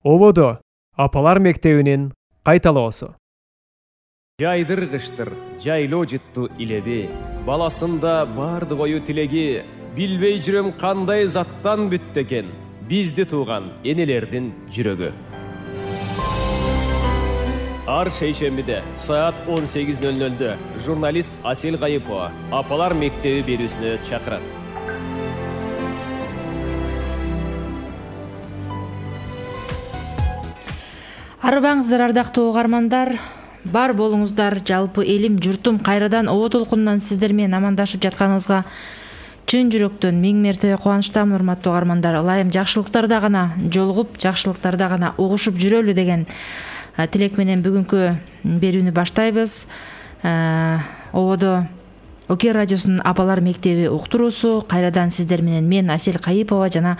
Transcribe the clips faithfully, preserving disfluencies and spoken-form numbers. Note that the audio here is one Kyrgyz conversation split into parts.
Ободо апалар мектебинин кайталоосу. Жайдыргыштыр, жайлоо жытту илеби, баласында бардык ою тилеги, билбей жүрөм кандай заттан бүт экен, бизди тууган энелердин жүрөгү. Ар шейшембиде саат он сегиз ноль нольдө журналист Асел Кайыпова апалар мектеби берүүсүнө чакырат. Арыбаңыздар, ардактуу угармандар, бар болуңуздар. Жалпы элим, журтум кайрадан Обо толкунунан сиздер менен амандашып жатканыбызга чын жүрөктөн миң мертебе кубанычтамын, урматтуу угармандар. Ылайым жакшылыктарда гана жолугуп, жакшылыктарда гана угушуп жүрөлү деген тилек менен бүгүнкү берүүнү баштайбыз. Ободо Оке радиосунун апалар мектеби уктуруусу кайрадан сиздер менен мен Асел Кайыпова жана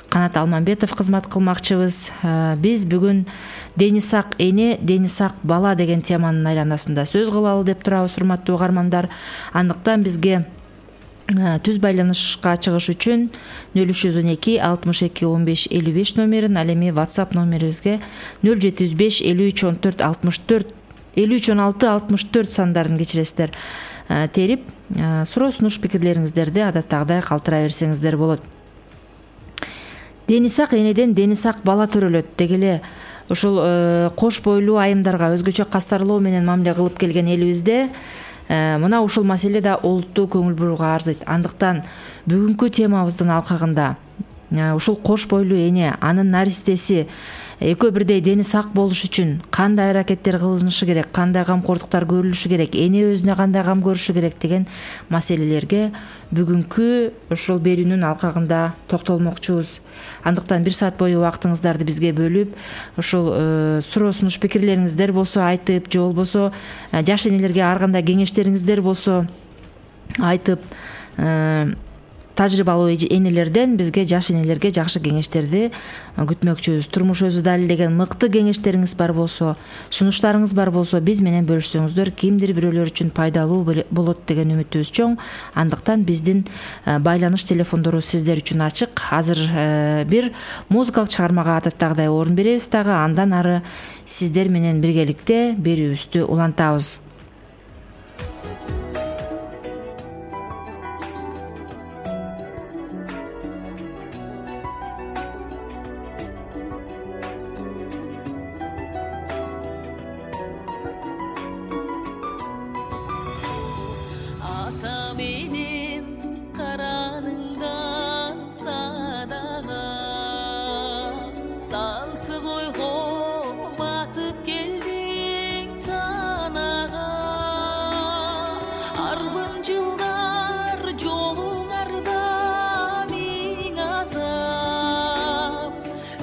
Канат Алмамбетов кызмат кылмакчыбыз. Биз бүгүн дени сак эне, дени сак бала деген теманын айланасында сөз кылалы деп турабыз, урматтуу угармандар. Андыктан бизге түз байланышка чыгыш үчүн нөл үч жүз он эки алтымыш эки он беш элүү беш номерин, ал эми WhatsApp номерибизге нөл жети жүз беш элүү үч он төрт алтымыш төрт элүү үч он алты алтымыш төрт сандарын кечиресиздер терип, суроо сунуш пикирлериңиздерди адаттагыдай калтыра берсеңиздер болот. Дени сак энеден дени сак бала төрөлөт дегеле ушул кош бойлуу айымдарга өзгөчө кастарлоо менен мамиле кылып келген элибизде мына ушул маселе да олуттуу көңүл бурууга арзыйт. Андыктан бүгүнкү темабыздын алкагында ушул кош бойлуу эне, анын наристеси экөө бирдей дени сак болуш үчүн кандай аракеттер кылынышы керек, кандай камкордуктар көрүлүшү керек, эне өзүнө кандай кам көрүшү керек деген маселелерге бүгүнкү ушул берүүнүн алкагында токтолмокчубуз. Андыктан бир саат бою убактыңыздарды бизге бөлүп, ушул суроо сунуш пикирлериңиздер болсо айтып, же болбосо жаш энелерге ар кандай кеңештериңиздер болсо айтып, тажрыйбалуу энелерден бизге, жаш энелерге жакшы кеңештерди күтмөкчүбүз. Турмуш өзү далилдеген мыкты кеңештериңиз бар болсо, сунуштарыңыз бар болсо биз менен бөлүшсөңүздөр кимдир бирөөлөр үчүн пайдалуу болот деген үмүтүбүз чоң. Андыктан биздин байланыш телефондору сиздер үчүн ачык. Азыр бир музыкалык чыгармага адаттагыдай орун беребиз дагы, андан ары сиздер менен биргеликте берүүбүздү улантабыз.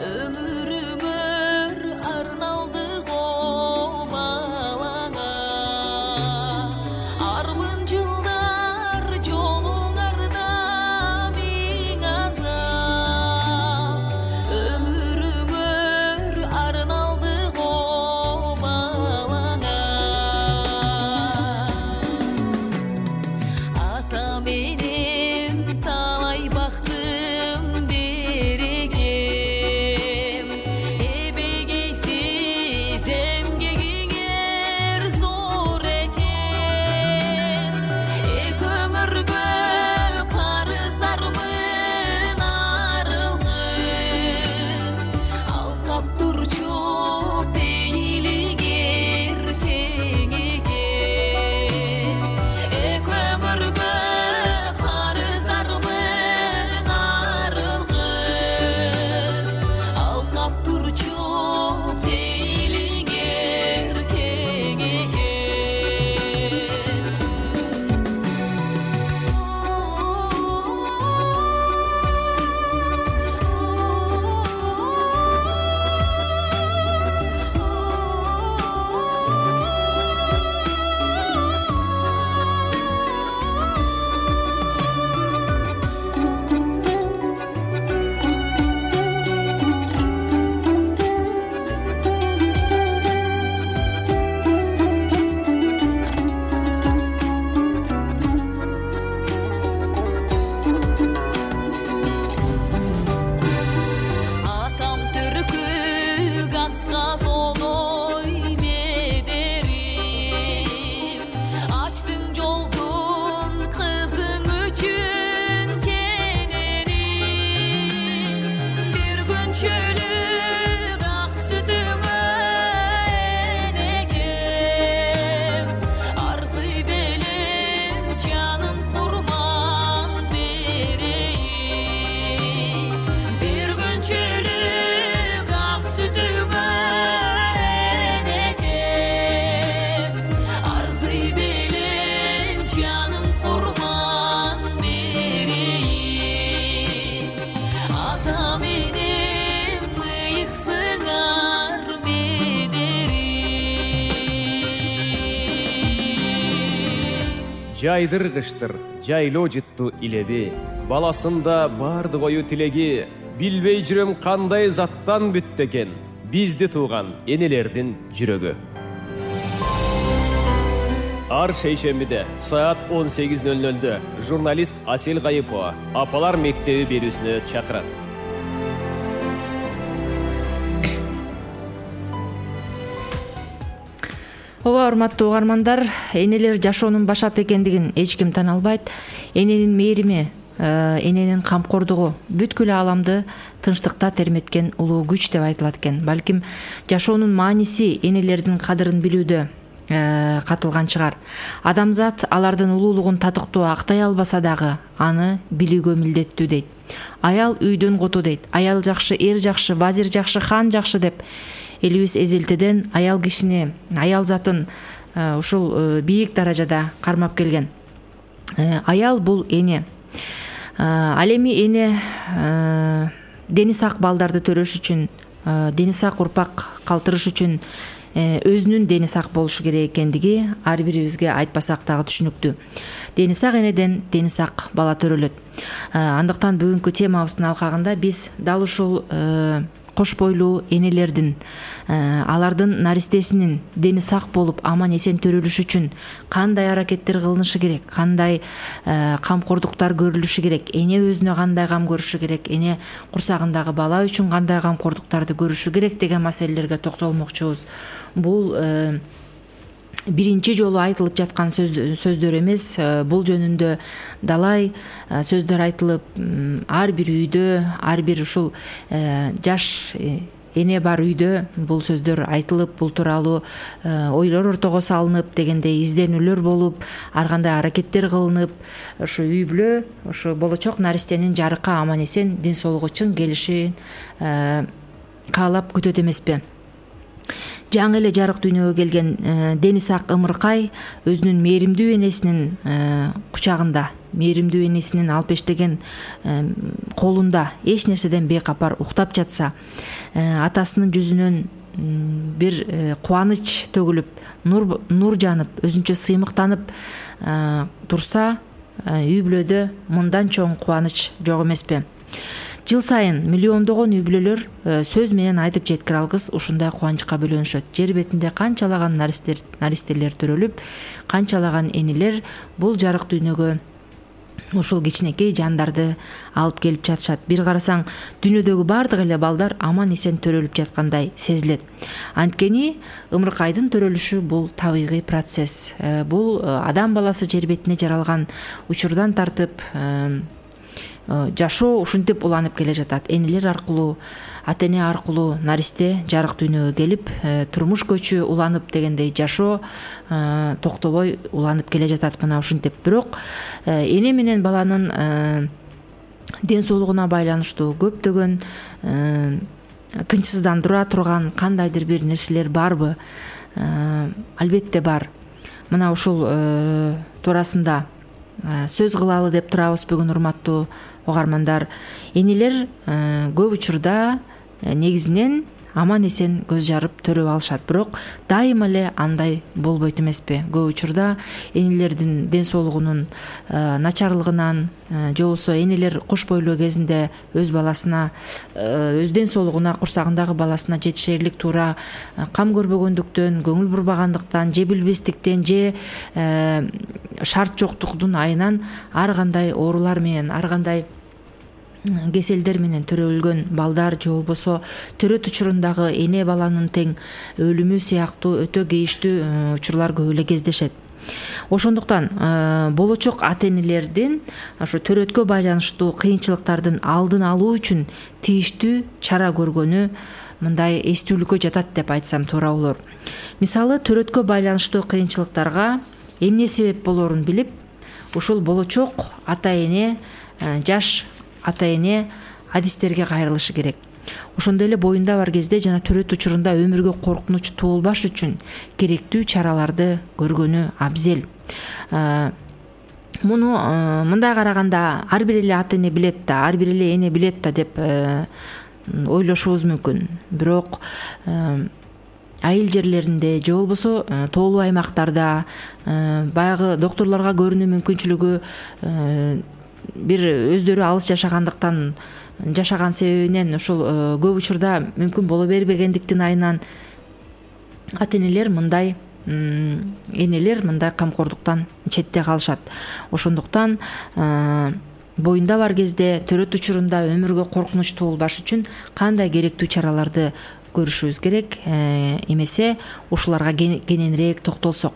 Ömrüngör жайдыргыштыр жайлоо жыттуу илеби, баласында бардык ою тилеги, билбей жүрөм кандай заттан бүттү экен бизди тууган энелердин жүрөгү. Ар шейшембиде саат он сегиз ноль нольдө журналист Асел Гайыпова Апалар мектеби берүүсүнө чакырат. Ооба, урматтуу угармандар, энелер жашоонун башаты экендигин эч ким тана албайт. Эненин мээрими, эненин камкордугу бүткүл ааламды тынчтыкта терметкен улуу күч деп айтылат экен. Балким жашоонун мааниси энелердин кадырын билүүдө катылган чыгар. Адамзат алардын улуулугун татыктуу актай албаса дагы аны билүүгө милдеттүү дейт. Аял үйдүн куту дейт. Аял жакшы, эр жакшы, вазир жакшы, хан жакшы деп элибиз эзелтеден аял кишини, аял затын ушул бийик даражада кармап келген. Аял бул эне. Ал эми эне дени сак балдарды төрөш үчүн, дени сак урпак калтырыш үчүн өзүнүн дени сак болушу керек экендиги ар бирибизге айтпасак дагы түшүнүктүү. Дени сак энеден дени сак бала төрөлөт. Андыктан бүгүнкү темабыздын алкагында биз дал ушул кош бойлуу энелердин, алардын наристесинин дени сак болуп аман эсен төрөлүшү үчүн кандай аракеттер кылынышы керек, кандай камкордуктар көрүлүшү керек, эне өзүнө кандай кам көрүшү керек, эне курсагындагы бала үчүн кандай камкордуктарды көрүшү керек деген маселелерге токтолмокчубуз. Бул биринчи жолу айтылып жаткан сөздөр эмес. Бул жөнүндө далай сөздөр айтылып, ар бир үйдө, ар бир ушул жаш эне бар үйдө бул сөздөр айтылып, бул тууралуу ойлор ортого салынып, дегендей изденүүлөр болуп, ар кандай аракеттер кылынып, ушу үй бүлө, ушу болочок наристенин жарыкка аман эсен ден соолугу чың келишин каалап күтөт эмеспи? Жаңы эле жарык дүйнөгө келген дени сак ымыркай өзүнүн мээримдүү энесинин кучагында, мээримдүү энесинин алпештеген колунда эч нерседен бейкапар уктап жатса, атасынын жүзүнөн бир кубаныч төгүлүп, нур нур жанып, өзүнчө сыймыктанып турса, үй бүлөдө мындан чоң кубаныч жок эмеспи? Жыл сайын миллиондогон үй бүлөлөр сөз менен айтып жеткире алгыс ушундай кубанычка бөлөнүшөт. Жер бетинде канчалаган наристелер төрөлүп, канчалаган энелер бул жарык дүйнөгө ушул кичинекей жандарды алып келип жатышат. Бир карасаң, дүйнөдөгү бардык эле балдар аман эсен төрөлүп жаткандай сезилет. Анткени ымыркайдын төрөлүшү бул табигый процесс. Бул адам баласы жер бетине жаралган учурдан тартып жашоо ушинтип уланып келе жатат. Энелер аркылуу, ата эне аркылуу наристе жарык дүйнөгө келип, турмуш көчү уланып, дегендей жашоо токтобой уланып келе жатат мына ушинтип. Бирок эне менен баланын ден соолугуна байланыштуу көптөгөн тынчсыздандыра турган кандайдыр бир нерселер барбы? Албетте бар. Мына ушул туурасында сөз кылалы деп турабыз бүгүн, урматтуу угармандар. Энелер көп учурда негизинен аман эсен көз жарып төрөп алышат, бирок дайыма эле андай болбойт эмеспи? Көп учурда энелердин ден соолугунун начарлыгынан же болбосо энелер кош бойлуу кезинде өз баласына, өз ден соолугуна, курсагындагы баласына жетишерлик туура кам көрбөгөндүктөн, көңүл бурбагандыктан, же билбестиктен, же шарт жоктугунун айынан ар кандай оорулар менен, ар кандай кеселдер менен төрөлгөн балдар, же болбосо төрөт учурундагы эне баланын тең өлүмү сыяктуу өтө кейиштүү учурлар көп эле кездешет. Ошондуктан болочок ата энелердин ошо төрөткө байланыштуу кыйынчылыктардын алдын алуу үчүн тийиштүү чара көргөнү мындай эстүүлүккө жатат деп айтсам туура болор. Мисалы, төрөткө байланыштуу кыйынчылыктарга эмне себеп болорун билип, ушул болочок ата эне, жаш ата эне адистерге кайрылышы керек. Ошондой эле боюнда бар кезде жана төрөт учурунда өмүргө коркунуч туулбаш үчүн керектүү чараларды көргөнү абзел. Муну мындай караганда ар бир эле ата эне билет да, ар бир эле эне билет да деп ойлошубуз мүмкүн. Бирок айыл жерлеринде же болбосо тоолуу аймактарда баягы доктурларга көрүнүү мүмкүнчүлүгү бир өздөрү алыс жашагандыктан жашаган себебинен ушул көп учурда мүмкүн боло бербегендиктин айынан ата энелер мындай энелер мындай камкордуктан четте калышат. Ошондуктан боюнда бар кезде төрөт учурунда өмүргө коркунуч туулбаш үчүн кандай керектүү чараларды көрүшүбүз керек, эмесе ушуларга кененирээк токтолсок.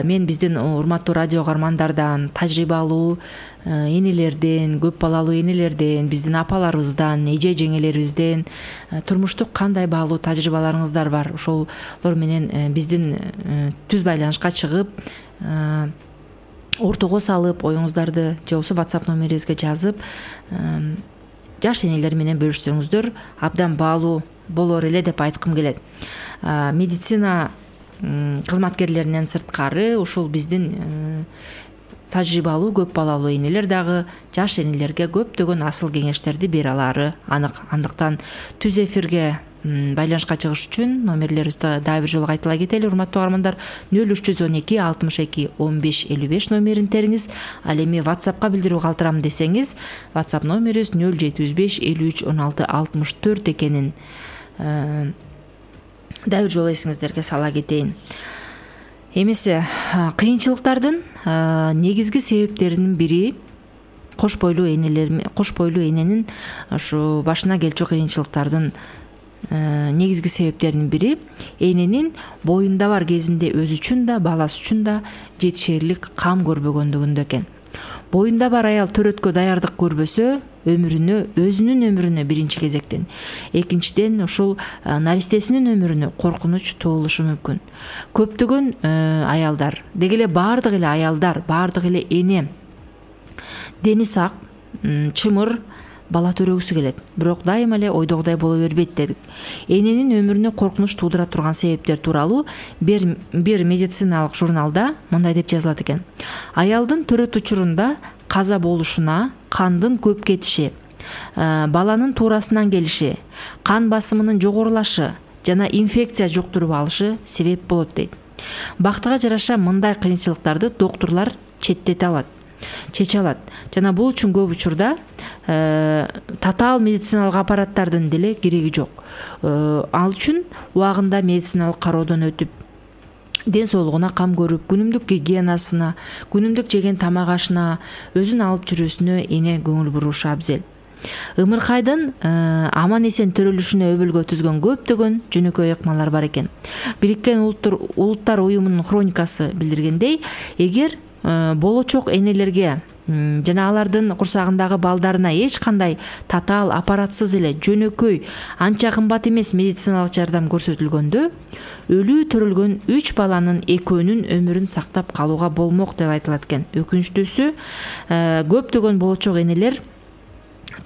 Мен биздин урматтуу радио угармандардан, тажрыйбалуу энелерден, көп балалуу энелерден, биздин апаларыбыздан, эже жеңелерибизден турмуштук кандай баалуу тажрыйбаларыңыздар бар, ошолор менен биздин түз байланышка чыгып, ортого салып, оюңуздарды же болбосо WhatsApp номерибизге жазып, жаш энелер менен бөлүшсөңүздөр абдан баалуу болор эле деп айткым келет. Медицина кызматкерлеринен сырткары ушул биздин тажрыйбалуу көп балалуу энелер дагы жаш энелерге көптөгөн асыл кеңештерди бере алары анык. Андыктан түз эфирге байланышка чыгыш үчүн номерлерибизди дагы бир жолу кайталай кетели. Урматтуу угармандар, нөл үч жүз он эки алтымыш эки он беш элүү беш номерин териңиз. Ал эми WhatsAppка билдирүү калтырам десеңиз, WhatsApp номерибиз нөл жети жүз беш элүү үч он алты алтымыш төрт экенин дагы бир жолу эсиңиздерге сала кетейин. Эмесе кыйынчылыктардын негизги себептеринин бири кош бойлуу энелер, кош бойлуу эненин ушу башына келчү кыйынчылыктардын негизги себептеринин бири эненин боюнда бар кезинде өзү үчүн да, баласы үчүн да жетишерлик кам көрбөгөндүгүндө экен. Боюнда бар аял төрөткө даярдык көрбөсө, өмүрүнө, өзүнүн өмүрүнө биринчи кезектен, экинчиден ушул наристесинин өмүрүнө коркунуч туулушу мүмкүн. Көптөгөн аялдар, деги эле баардык эле аялдар, баардык эле эне дени сак, чымыр бала төрөгүсү келет. Бирок дайыма эле ойдогудай боло бербейт дедик. Эненин өмүрүнө коркунуч туудура турган себептер тууралуу бир бир медициналык журналда мындай деп жазылат экен. Аялдын төрөт учурунда каза болушуна кандын көп кетиши, баланын туурасынан келиши, кан басымынын жогорулашы жана инфекция жуктуруп алышы себеп болот дейт. Бактыга жараша мындай кыйынчылыктарды доктурлар четтете алат, чече алат жана бул үчүн көп учурда татаал медициналык аппараттардын деле кереги жок. Ал үчүн убагында медициналык кароодон өтүп, ден соолугуна кам көрүп, күнүмдүк гигиенасына, күнүмдүк жеген тамак ашына, өзүн алып жүрүүсүнө эне көңүл бурушу абзел. Ымыркайдын аман эсен төрөлүшүнө өбөлгө түзгөн көптөгөн жөнөкөй ыкмалар бар экен. Бириккен Улуттар уюмунун хроникасы билдиргендей, эгер болочок энелерге жана алардын курсагындагы балдарына эч кандай татаал аппаратсыз эле жөнөкөй, анча кымбат эмес медициналык жардам көрсөтүлгөндө, өлүү төрөлгөн үч баланын экөөнүн өмүрүн сактап калууга болмок деп айтылат экен. Өкүнүчтүүсү, көптөгөн болочок энелер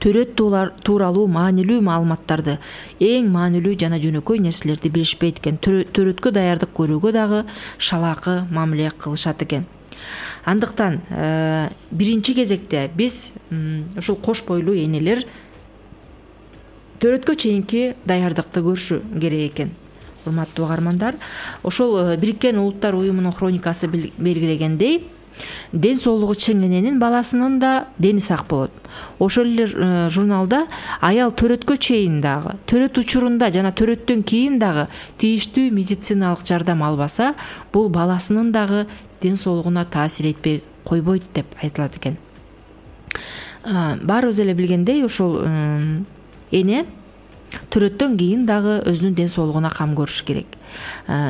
төрөт тууралуу маанилүү маалыматтарды, эң маанилүү жана жөнөкөй нерселерди билишпейт экен. Төрөткө даярдык көрүүгө дагы шалаакы мамиле кылышат экен. Андыктан биринчи кезекте биз ушул кош бойлуу энелер төрөткө чейинки даярдыкты көрүшү керек экен. Урматтуу угармандар, ошол Бириккен Улуттар уюмунун хроникасы белгилегендей, ден соолугу чың эненин баласынын да дени сак болот. Ошол эле журналда аял төрөткө чейин дагы, төрөт учурунда жана төрөттөн кийин дагы тийиштүү медициналык жардам албаса, бул баласынын дагы ден соолугуна таасир этпей койбойт деп айтылат экен. Баарыбыз эле билгендей, ушул эне төрөттөн кийин дагы өзүнүн ден соолугуна кам көрүш керек.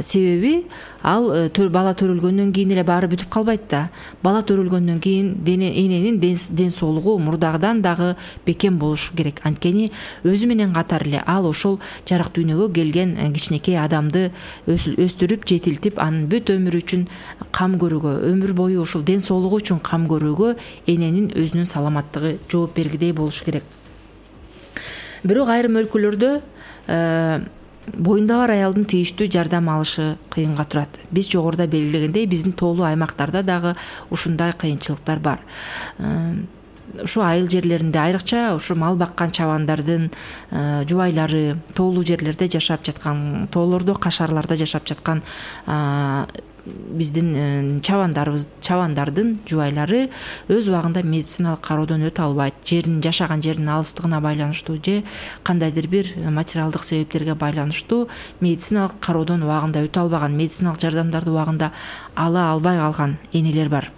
Себеби ал бала төрөлгөндөн кийин эле баары бүтүп калбайт да. Бала төрөлгөндөн кийин эненин ден соолугу мурдагыдан дагы бекем болушу керек. Анткени өзү менен катар эле ал ошол жарык дүйнөгө келген кичинекей адамды өстүрүп, жетилтип, анын бүт өмүрү үчүн кам көрүүгө, өмүр бою ушул ден соолугу үчүн кам көрүүгө эненин өзүнүн саламаттыгы жооп бергидей болушу керек. Бирок айрым өлкөлөрдө боюнда бар аялдын тийиштүү жардам алышы кыйынга турат. Биз жогоруда белгилегендей, биздин тоолуу аймактарда дагы ушундай кыйынчылыктар бар. ушу айыл жерлеринде, айрыкча ушу мал баккан чабандардын жубайлары, тоолуу жерлерде жашап жаткан, тоолордо, кашарларда жашап жаткан биздин чабандарыбыз чабандардын жубайлары өз убагында медициналык кароодон өтө албайт. Жерин жашаган жердин алыстыгына байланыштуу же кандайдыр бир материалдык себептерге байланыштуу медициналык кароодон убагында өтө албаган, медициналык жардамдарды убагында ала албай калган энелер бар.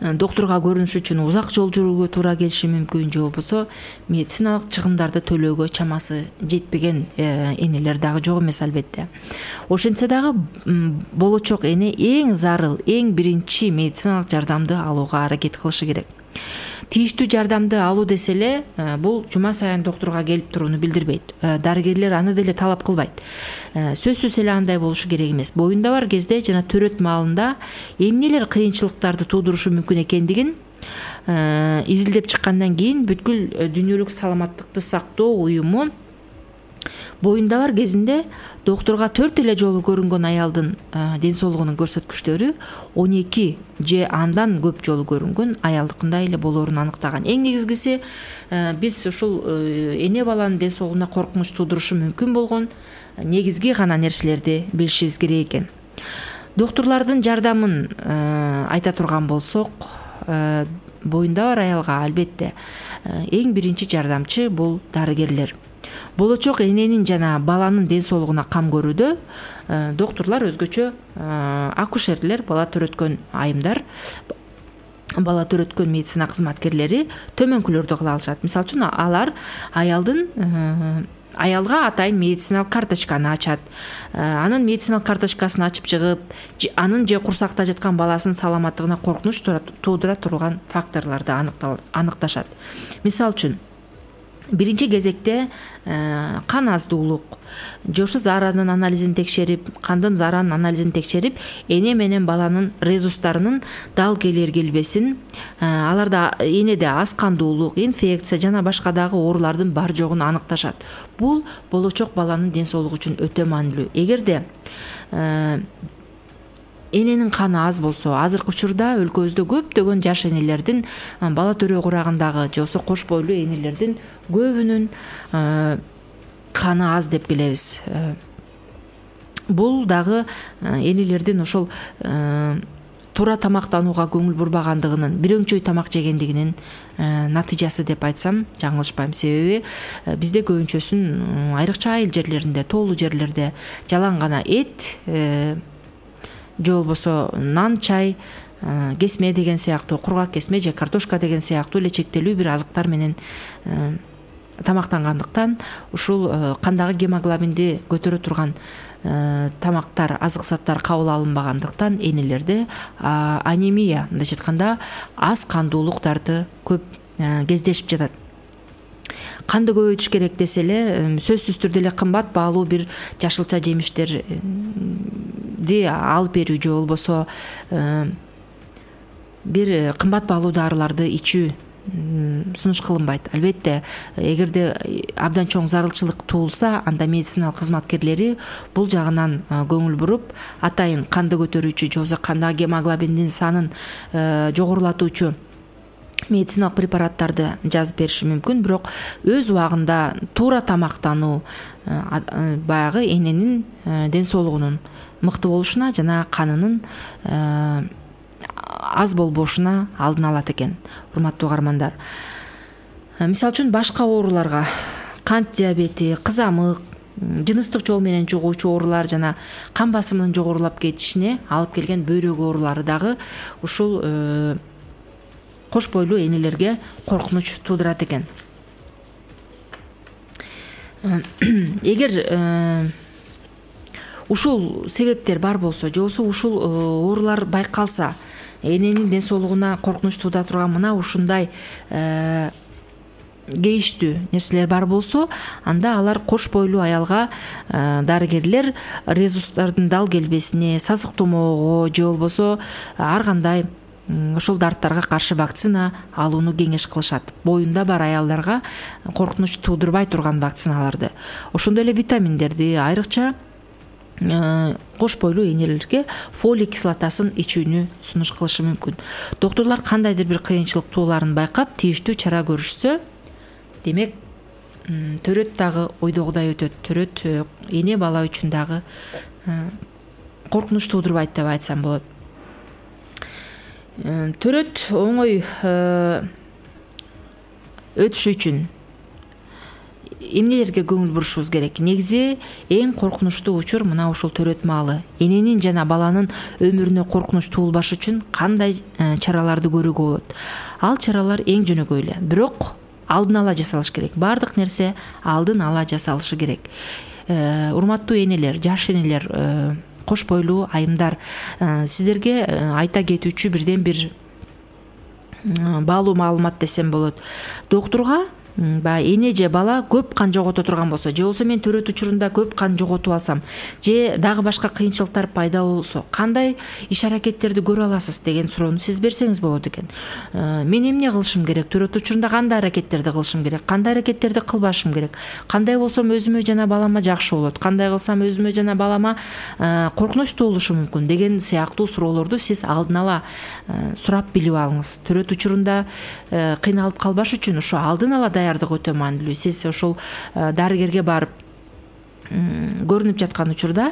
Доктурга көрүнүш үчүн узак жол жүрүүгө туура келиши мүмкүн, же болбосо медициналык чыгымдарды төлөөгө чамасы жетпеген энелер дагы жок эмес албетте. Ошентсе дагы болочок эне эң зарыл, эң биринчи медициналык жардамды алууга аракет кылышы керек. Тийиштүү жардамды алуу десе эле бул жума сайын доктурга келип турууну билдирбейт. Дарыгерлер аны деле талап кылбайт. Сөзсүз эле андай болушу керек эмес. Боюнда бар кезде жана төрөт маалында эмнелер кыйынчылыктарды туудурушу мүмкүн экендигин изилдеп чыккандан кийин бүткүл дүйнөлүк саламаттыкты сактоо уюму боюнда бар кезинде доктурга төрт эле жолу көрүнгөн аялдын ден соолугунун көрсөткүчтөрү он эки же андан көп жолу көрүнгөн аялдыкындай эле болоорун аныктаган. Эң негизгиси биз ушул эне баланын ден соолугуна коркунуч туудурушу мүмкүн болгон негизги гана нерселерди билишибиз керек экен. Доктурлардын жардамын айта турган болсок, боюнда бар аялга албетте эң биринчи жардамчы бул дарыгерлер. Болочок эненин жана баланын ден соолугуна кам көрүүдө доктурлар өзгөчө акушерлер, бала төрөткөн айымдар, бала төрөткөн медицина кызматкерлери төмөнкүлөрдү кыла алышат. Мисалы үчүн алар аялдын аялга атайын медициналык карточканы ачат. Анын медициналык карточкасын ачып чыгып, анын же курсакта жаткан баласынын саламаттыгына коркунуч туудура турган факторлорду аныкташат. Мисалы үчүн биринчи кезекте кан аздуулук, жошу зааранын анализин текшерип, кандын зааранын анализин текшерип, эне менен баланын резустарынын дал келер келбесин, аларда энеде аз кандуулук, инфекция жана башка дагы оорулардын бар жогун аныкташат. Бул болочок баланын ден соолугу үчүн өтө маанилүү. Эгерде эненин каны аз болсо, азыркы учурда өлкөбүздө көптөгөн жаш энелердин, бала төрөө курагындагы же болбосо кош бойлуу энелердин көбүнүн каны аз деп келебиз. Бул дагы энелердин ошол туура тамактанууга көңүл бурбагандыгынын, бир өңчөй тамак жегендигинин натыйжасы деп айтсам жаңылышпайм. Себеби бизде көбүнчөсүн айрыкча айыл жерлеринде, тоолуу жерлерде жалаң гана эт же болбосо нан, чай, кесме деген сыяктуу, кургак кесме же картошка деген сыяктуу эле чектелүү бир азыктар менен тамактангандыктан ушул кандагы гемоглобинди көтөрө турган тамактар, азык заттар кабыл алынбагандыктан энелерде анемия, мындайча айтканда аз кандуулуктарды көп кездешип жатат. Канды көбөйтүш керек десе эле, сөзсүз түрдө эле кымбат баалуу бир жашылча жемиштерди алып берүү же болбосо бир кымбат баалуу дарыларды ичүү сунуш кылынбайт. Албетте, эгерде абдан чоң зарылчылык туулса, анда медициналык кызматкерлери бул жагынан көңүл буруп, атайын канды көтөрүүчү же болбосо кандагы гемоглобиндин санын жогорулатуучу медициналык препараттарды жазып бериши мүмкүн. Бирок өз убагында туура тамактануу баягы эненин ден соолугунун мыкты болушуна жана канынын аз болбошуна алдын алат экен, урматтуу угармандар. Мисалы үчүн башка ооруларга, кант диабети, кызамык, жыныстык жол менен жугуучу оорулар жана кан басымынын жогорулап кетишине алып келген бөйрөк оорулары дагы ушул кош бойлуу энелерге коркунуч туудурат экен. Эгер ушул себептер бар болсо, же болбосо ушул оорулар байкалса, эненин ден соолугуна коркунуч туудура турган мына ушундай кейиштүү нерселер бар болсо, анда алар кош бойлуу аялга дарыгерлер резустардын дал келбесине, сасык тумоого же болбосо ар кандай ошол дарттарга каршы вакцина алууну кеңеш кылышат. Боюнда бар аялдарга коркунуч туудурбай турган вакциналарды. Ошондой эле витаминдерди, айрыкча кош бойлуу энелерге фолий кислотасын ичүүнү сунуш кылышы мүмкүн. Доктурлар кандайдыр бир кыйынчылык тууларын байкап тийиштүү чара көрүшсө, демек төрөт дагы ойдогудай өтөт. Төрөт эне бала үчүн дагы коркунуч туудурбайт деп айтсам болот. Төрөт оңой өтүшү үчүн эмнелерге көңүл бурушубуз керек? Негизи эң коркунучтуу учур мына ушул төрөт маалы. Эненин жана баланын өмүрүнө коркунуч туулбаш үчүн кандай чараларды көрүүгө болот? Ал чаралар эң жөнөкөй эле, бирок алдын ала жасалыш керек. Бардык нерсе алдын ала жасалышы керек. Урматтуу энелер, жаш энелер, кош бойлуу айымдар, сиздерге айта кетүүчү бирден бир баалуу маалымат десем болот. Доктурга баягы эне же бала көп кан жогото турган болсо, же болбосо мен төрөт учурунда көп кан жоготуп алсам, же дагы башка кыйынчылыктар пайда болсо, кандай иш аракеттерди көрө аласыз деген суроону сиз берсеңиз болот экен. Мен эмне кылышым керек? Төрөт учурунда кандай аракеттерди кылышым керек? Кандай аракеттерди кылбашым керек? Кандай болсом өзүмө жана балама жакшы болот? Кандай кылсам өзүмө жана балама коркунуч туулушу мүмкүн деген сыяктуу суроолорду сиз алдын ала сурап билип алыңыз. Төрөт учурунда кыйналып калбаш үчүн ошо алдын ала даярдык өтө маанилүү. Сиз ошол дарыгерге барып көрүнүп жаткан учурда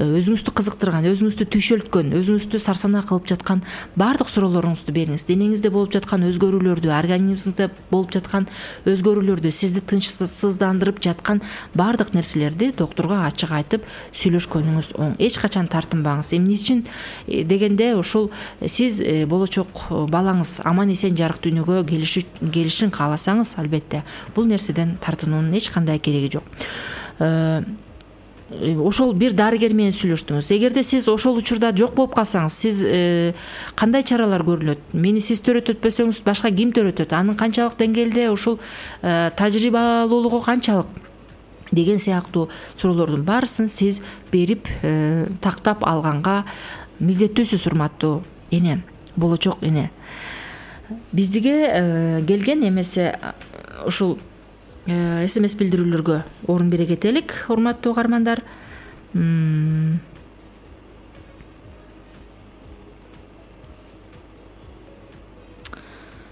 өзүңүздү кызыктырган, өзүңүздү түйшөлткөн, өзүңүздү сарсанаа кылып жаткан бардык суроолоруңузду бериңиз. Денеңизде болуп жаткан өзгөрүүлөрдү, организмиңизде болуп жаткан өзгөрүүлөрдү, сизди тынчсыздандырып жаткан бардык нерселерди доктурга ачык айтып сүйлөшкөнүңүз оң. Эч качан тартынбаңыз. Эмне үчүн дегенде ушул сиз болочок балаңыз аман эсен жарык дүйнөгө келишин кааласаңыз, албетте бул нерседен тартынуунун эч кандай кереги жок. Ошол бир дарыгер менен сүйлөштүңүз. Эгерде сиз ошол учурда жок болуп калсаңыз, сиз кандай чаралар көрүлөт? Мени сиз төрөтөтпөсөңүз, башка ким төрөтөт? Анын канчалык деңгээлде ушул тажрыйбалуулугу канчалык? Деген сыяктуу суроолордун баарысын сиз берип тактап алганга милдеттүүсүз, урматтуу эне, болочок эне. Биздиге келген эмесе ушул смс билдирүүлөргө орун бере кетелик, урматтуу угармандар.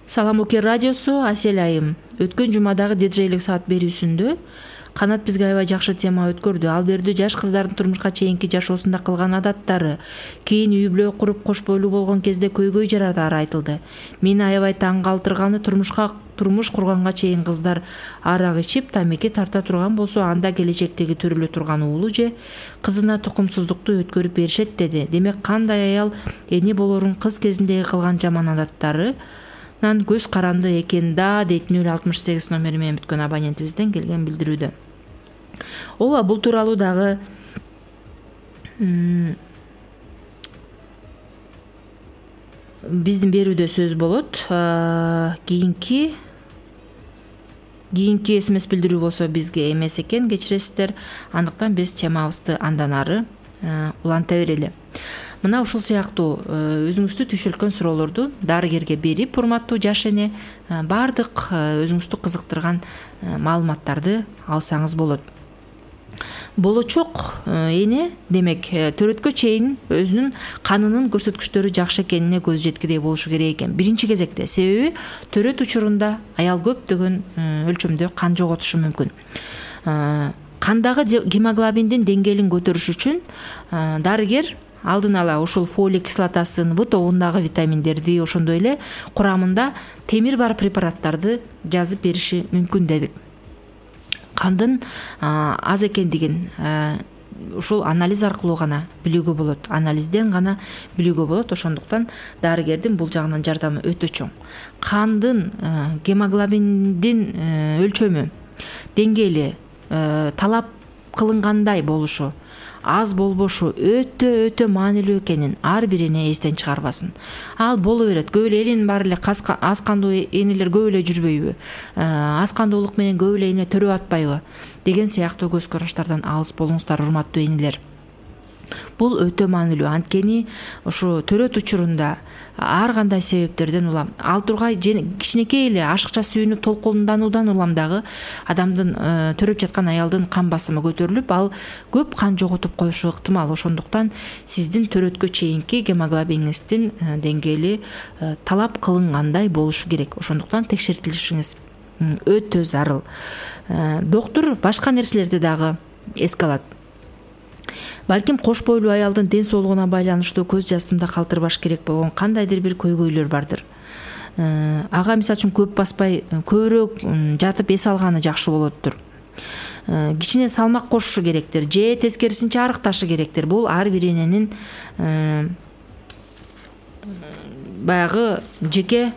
Салам Оке радиосу, Асель айым. Өткөн жумадагы диджейлик саат берүүсүндө Канат бизге аябай жакшы тема өткөрдү. Ал берүүдө жаш кыздардын турмушка чейинки жашоосунда кылган адаттары, кийин үй бүлө куруп кош бойлуу болгон кезде көйгөй жаратары айтылды. Мени аябай таң калтырганы турмушка турмуш курганга чейин кыздар арак ичип, тамеки тарта турган болсо, анда келечектеги төрөлө турган уулу же кызына тукумсуздукту өткөрүп беришет деди. Демек кандай аял эне болорун кыз кезиндеги кылган жаман адаттары нан көз каранды экен да, дейт нөл алтымыш сегиз номери менен бүткөн абонентибизден келген билдирүүдө. Ооба, бул тууралуу дагы биздин берүүдө сөз болот. Кийинки кийинки смс билдирүү болсо бизге эмес экен, кечиресиздер. Андыктан биз темабызды андан ары уланта берели. Мына ушул сыяктуу өзүңүздү түйшөлткөн суроолорду дарыгерге берип, урматтуу жаш эне, бардык өзүңүздү кызыктырган маалыматтарды алсаңыз болот. Болочок эне, демек, төрөткө чейин өзүнүн канынын көрсөткүчтөрү жакшы экенине көз жеткидей болушу керек экен. Биринчи кезекте, себеби төрөт учурунда аял көптөгөн өлчөмдө кан жоготушу мүмкүн. Кандагы гемоглобиндин деңгээлин көтөрүш үчүн дарыгер алдын ала ушул фолий кислотасын, В тобундагы витаминдерди, ошондой эле курамында темир бар препараттарды жазып бериши мүмкүн дедик. Кандын аз экендигин ушул анализ аркылуу гана билүүгө болот, анализден гана билүүгө болот. Ошондуктан дарыгердин бул жагынан жардамы өтө чоң. Кандын гемоглобиндин өлчөмү, деңгээли талап кылынгандай болушу, аз болбошу өтө өтө маанилүү экенин ар бир эне эстен чыгарбасын. Ал боло берет. Көп эле эненин баары эле аз кандуу энелер көп эле жүрбөйбү? Аз кандуулук менен көп эле эне төрөп атпайбы? Деген сыяктуу көз караштардан алыс болуңуздар, урматтуу энелер. Бул өтө маанилүү, анткени ошо төрөт учурунда ар кандай себептерден улам ал тургай кичинекей эле ашыкча сүйүнүп толкундануудан улам дагы адамдын төрөп жаткан аялдын кан басымы көтөрүлүп, ал көп кан жоготуп коюшу ыктымал. Ошондуктан сиздин төрөткө чейинки гемоглобиниңиздин деңгээли талап кылынгандай болушу керек. Ошондуктан текшертилишиңиз өтө зарыл. Доктур башка нерселерди дагы эске алат. Балким кош бойлуу аялдын ден соолугуна байланыштуу көз жасымда калтырбаш керек болгон кандайдыр бир көйгөйлөр бардыр. Ага мисалы үчүн көп баспай, көбүрөөк жатып эс алганы жакшы болоттур. Кичине салмак кошушу керектир, же тескерисинче арыкташы керектир. Бул ар бир эненин баягы жеке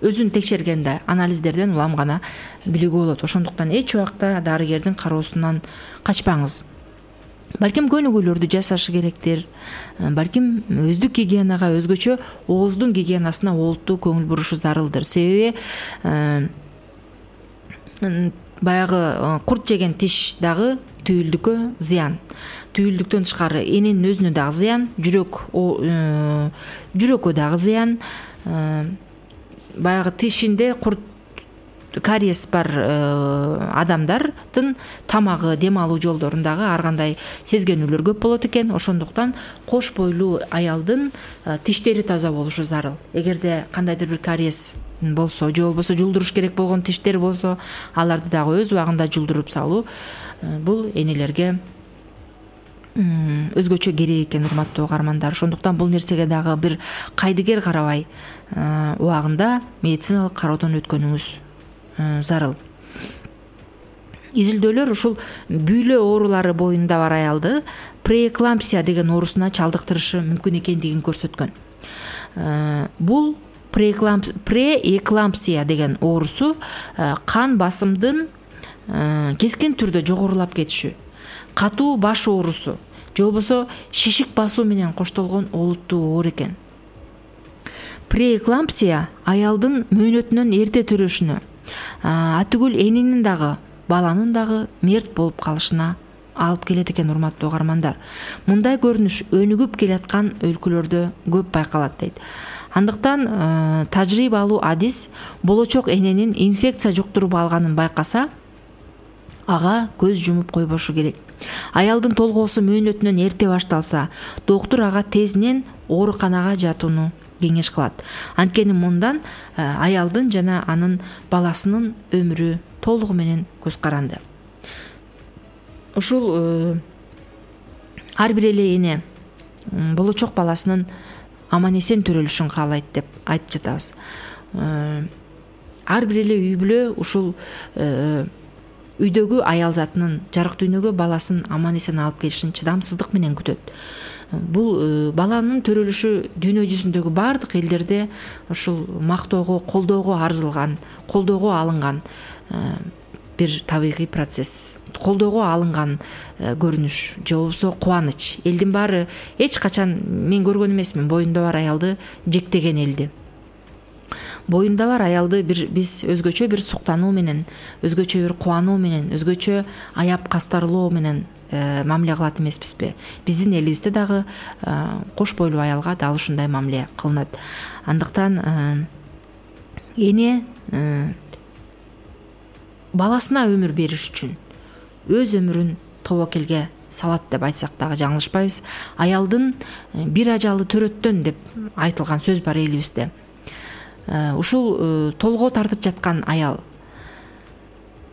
өзүн текшергенде анализдерден улам гана билүүгө болот. Ошондуктан эч убакта дарыгердин кароосунан качпаңыз. Балким көнүгүүлөрдү жасашы керектир. Балким өздүк гигиенага, өзгөчө ооздун гигиенасына олуттуу көңүл бурушу зарылдыр. Себеби баягы курт жеген тиш дагы түйүлдүккө зыян. Түйүлдүктөн тышкары эненин өзүнө дагы зыян, жүрөк жүрөккө дагы зыян. Баягы тишинде курт кариес бар адамдардын тамагы, дем алуу жолдорундагы ар кандай сезгенүүлөр көп болот экен. Ошондуктан кош бойлуу аялдын тиштери таза болушу зарыл. Эгерде кандайдыр бир кариес болсо, же болбосо жулдуруш керек болгон тиштер болсо, аларды дагы өз убагында жулдуруп салуу бул энелерге өзгөчө керек экен, урматтуу угармандар. Ошондуктан бул нерсеге дагы бир кайдыгер карабай убагында медициналык кароодон өткөнүңүз зарыл. Изилдөөлөр ушул бүйлө оорулары боюнда бар аялды преэклампсия деген оорусуна чалдыктырышы мүмкүн экендигин көрсөткөн. Бул преэклампсия деген оорусу кан басымдын кескин түрдө жогорулап кетиши, катуу баш оорусу, же болбосо шишик басуу менен коштолгон олуттуу оор экен. Преэклампсия аялдын мөөнөтүнөн эрте төрөшүнө, атүгүл эненин дагы, баланын дагы мерт болуп калышына алып келет экен, урматтуу угармандар. Мындай көрүнүш өнүгүп келаткан өлкөлөрдө көп байкалат дейт. Андыктан тажрыйбалуу адис болочок эненин инфекция жуктуруп алганын байкаса, ага көз жумуп койбошу керек. Аялдын толгоосу мөөнөтүнөн эрте башталса, доктур ага тезинен ооруканага жатууну кеңеш кылат. Анткени мындан аялдын жана анын баласынын өмүрү толугу менен көз каранды. Ушул ар бир эле эне болочок баласынын аман эсен төрөлүшүн каалайт деп айтып жатабыз. Ар бир эле үй бүлө ушул үйдөгү аял затынын жарык дүйнөгө баласын аман эсен алып келишин чыдамсыздык менен күтөт. Бул баланын төрөлүшү дүйнө жүзүндөгү бардык элдерде ушул мактоого, колдоого арзылган, колдоого алынган бир табигый процесс, колдоого алынган көрүнүш, же болбосо кубаныч. Элдин баары эч качан, мен көргөн эмесмин, боюнда бар аялды жектеген элди. Боюнда бар аялды бир биз өзгөчө бир суктануу менен, өзгөчө бир кубануу менен, өзгөчө аяп кастарлоо менен мамиле кылат эмеспизби? Биздин элибизде дагы кош бойлуу аялга дал ушундай мамиле кылынат. Андыктан эне баласына өмүр бериш үчүн өз өмүрүн тобокелге салат деп айтсак дагы жаңылышпайбыз. Аялдын бир ажалы төрөттөн деп айтылган сөз бар элибизде. Ушул толгоо тартып жаткан аял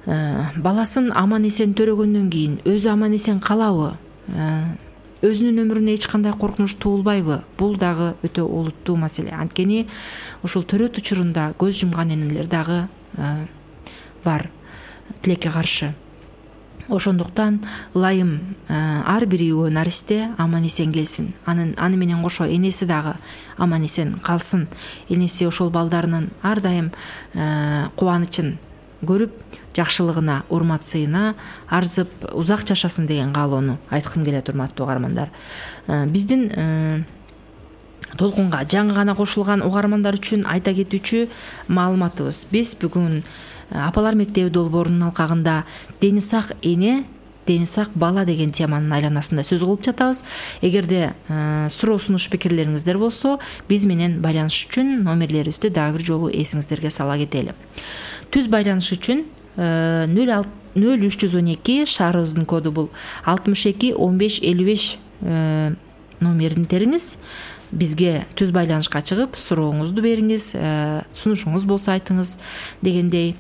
баласын аман эсен төрөгөндөн кийин өзү аман эсен калабы, өзүнүн өмүрүнө эч кандай коркунуч туулбайбы? Бул дагы өтө олуттуу маселе. Анткени ушул төрөт учурунда көз жумган энелер дагы бар тилекке каршы. Ошондуктан ылайым ар бир үйгө наристе аман эсен келсин. Анын аны менен кошо энеси дагы аман эсен калсын. Энеси ошол балдарынын ар дайым кубанычын көрүп, жакшылыгына, урмат сыйына арзып узак жашасын деген каалоону айткым келет, урматтуу угармандар. Биздин толкунга жаңы гана кошулган угармандар үчүн айта кетүүчү маалыматыбыз: биз бүгүн Апалар мектеби долбоорунун алкагында дени сак эне дени сак бала деген теманын айланасында сөз кылып жатабыз. Эгерде суроо сунуш пикирлериңиздер болсо, биз менен байланыш үчүн номерлерибизди дагы бир жолу эсиңиздерге сала кетели. Түз байланыш үчүн нөл үч жүз он эки, шаарыбыздын коду бул алтымыш эки он беш элүү беш номерин териңиз. Бизге түз байланышка чыгып, сурооңузду бериңиз, сунушуңуз болсо айтыңыз дегендей.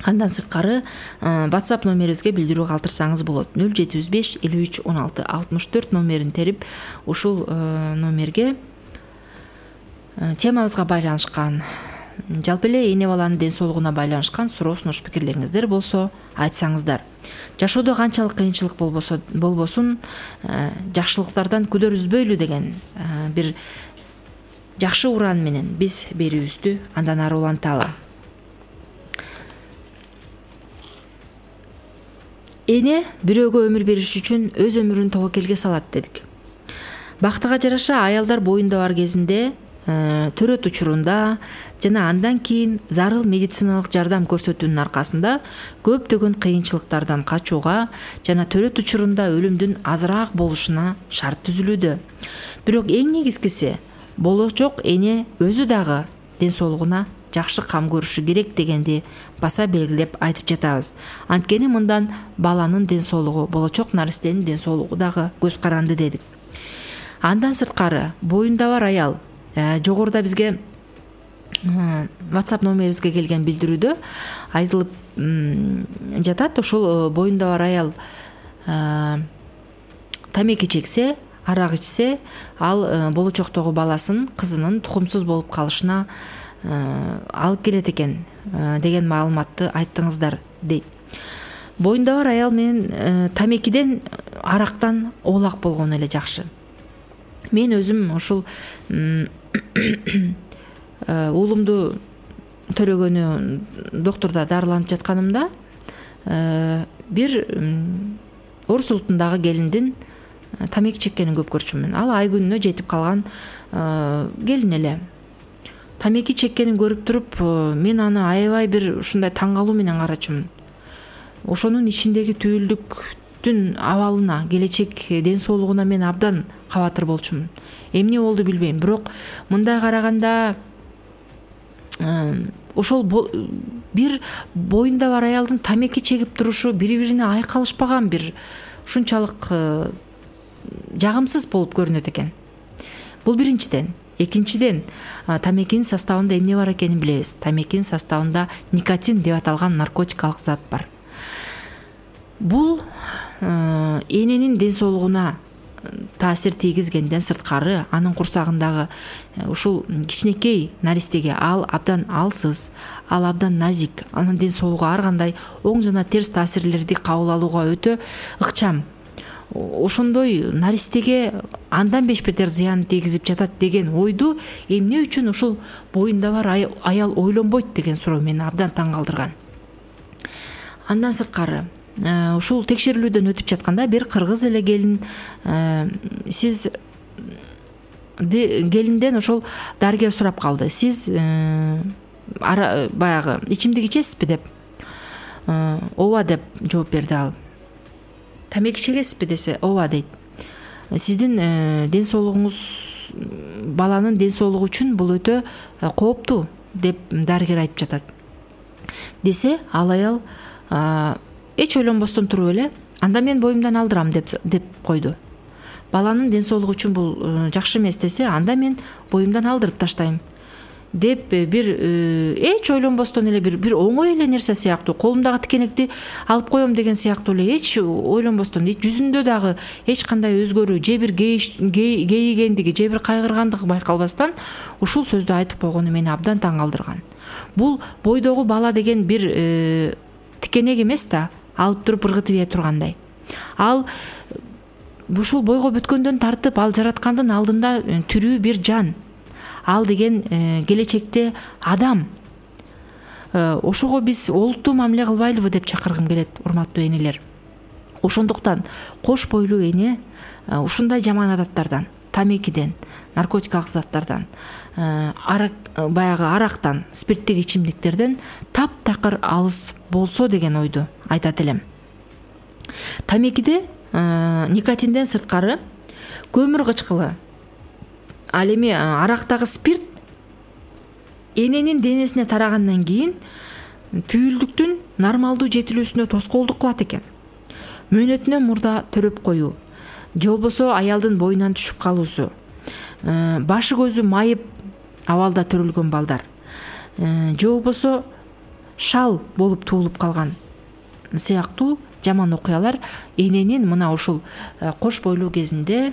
Андан сырткары WhatsApp номерибизге билдирүү калтырсаңыз болот. нөл жети жүз беш элүү үч он алты алтымыш төрт номерин терип, ушул номерге темабызга байланышкан, жалпы эле эне баланын ден соолугуна байланышкан суроо сунуш пикирлериңиздер болсо айтсаңыздар. Жашоодо канчалык кыйынчылык болбосо болбосун, жакшылыктардан күдөр үзбөйлү деген бир жакшы уран менен биз берүүбүздү андан ары уланталы. Эне бирөөгө өмүр бериш үчүн өз өмүрүн тобокелге салат дедик. Бактыга жараша аялдар боюнда бар кезинде, төрөт учурунда жана андан кийин зарыл медициналык жардам көрсөтүүнүн аркасында көптөгөн кыйынчылыктардан качууга жана төрөт учурунда өлүмдүн азыраак болушуна шарт түзүлүүдө. Бирок эң негизгиси, болочок эне өзү дагы ден соолугуна жакшы кам көрүшү керек дегенди баса белгилеп айтып жатабыз. Анткени мындан баланын ден соолугу, болочок наристенин ден соолугу дагы көз каранды дедик. Андан сырткары, боюнда бар аял, жогоруда бизге WhatsApp номерибизге келген билдирүүдө айтылып жатат. Ушул боюнда бар аял тамеки чексе, арак ичсе, ал болочоктогу баласын, кызынын тукумсуз болуп калышына алып келет экен деген маалыматты айттыңыздар дейт. Боюнда бар аял менен тамекиден, арактан оолак болгону эле жакшы. Мен өзүм ушул уулумду төрөгөнү доктурда дарыланып жатканымда бир орус улутундагы келиндин тамеки чеккенин көп көрчүмүн. Ал ай күнүнө жетип калган келин эле. Тамеки чеккенин көрүп туруп, мен аны аябай бир ушундай таң калуу менен карачумун. Ошонун ичиндеги түйүлдүктүн абалына, келечек ден соолугуна мен абдан кабатыр болчумун. Эмне болду билбейм, бирок мындай караганда ошол бир боюнда бар аялдын тамеки чегип турушу бири-бирине айкалышпаган, бир ушунчалык жагымсыз болуп көрүнөт экен. Бул биринчиден. Экинчиден, тамекинин составында эмне бар экенин билебиз. Тамекинин составында никотин деп аталган наркотикалык зат бар. Бул эненин ден соолугуна таасир тийгизгенден сырткары, анын курсагындагы ушул кичинекей наристеге ал абдан алсыз, ал абдан назик, анын ден соолугу ар кандай оң жана терс таасирлерди кабыл алууга өтө ыкчам. Ошондой наристеге андан беш бетер зыян тийгизип жатат деген ойду эмне үчүн ушул боюнда бар аял ойлонбойт деген суроо мени абдан таң калтырган. Андан сырткары, ушул текшерүүлүүдөн өтүп жатканда бир кыргыз эле келин, сиз келинден ошол дарыгер сурап калды. Сиз баягы ичимдик ичесизби деп. Ооба деп жооп берди ал. Тамеки чегесизби десе, ооба дейт. Сиздин ден соолугуңуз, баланын ден соолугу үчүн бул өтө кооптуу деп дарыгер айтып жатат. Десе, ал аял эч ойлонбостон туруп эле, анда мен боюмдан алдырам деп деп койду. Баланын ден соолугу үчүн бул жакшы эмес десе, анда мен боюмдан алдырып таштайм деп бир эч ойлонбостон эле бир бир оңой эле нерсе сыяктуу, колумдагы тикенекти алып коем деген сыяктуу эле эч ойлонбостон, жүзүндө дагы эч кандай өзгөрүү, же бир кейигендиги, же бир кайгыргандыгы байкалбастан ушул сөздү айтып койгону мени абдан таң калтырган. Бул бойдогу бала деген бир тикенек эмес да, алып туруп ыргытып ийе тургандай. Ал ушул бойго бүткөндөн тартып, ал жараткандын алдында тирүү бир жан. Ал деген келечекте адам. Ошого биз олуттуу мамиле кылбайлыбы деп чакыргым келет, урматтуу энелер. Ошондуктан кош бойлуу эне ушундай жаман адаттардан, тамекиден, наркотикалык заттардан, арак баягы арактан, спирттик ичимдиктерден таптакыр алыс болсо деген ойду айтат элем. Тамекиде никотинден сырткары көмүр кычкылы, ал эми арактагы спирт эненин денесине тарагандан кийин түйүлдүктүн нормалдуу жетилүүсүнө тоскоолдук кылат экен. Мөөнөтүнөн мурда төрөп коюу же болбосо аялдын боюнан түшүп калуусу, башы көзү майып абалда төрөлгөн балдар, же болбосо шал болуп туулуп калган сыяктуу жаман окуялар эненин мына ушул кош бойлуу кезинде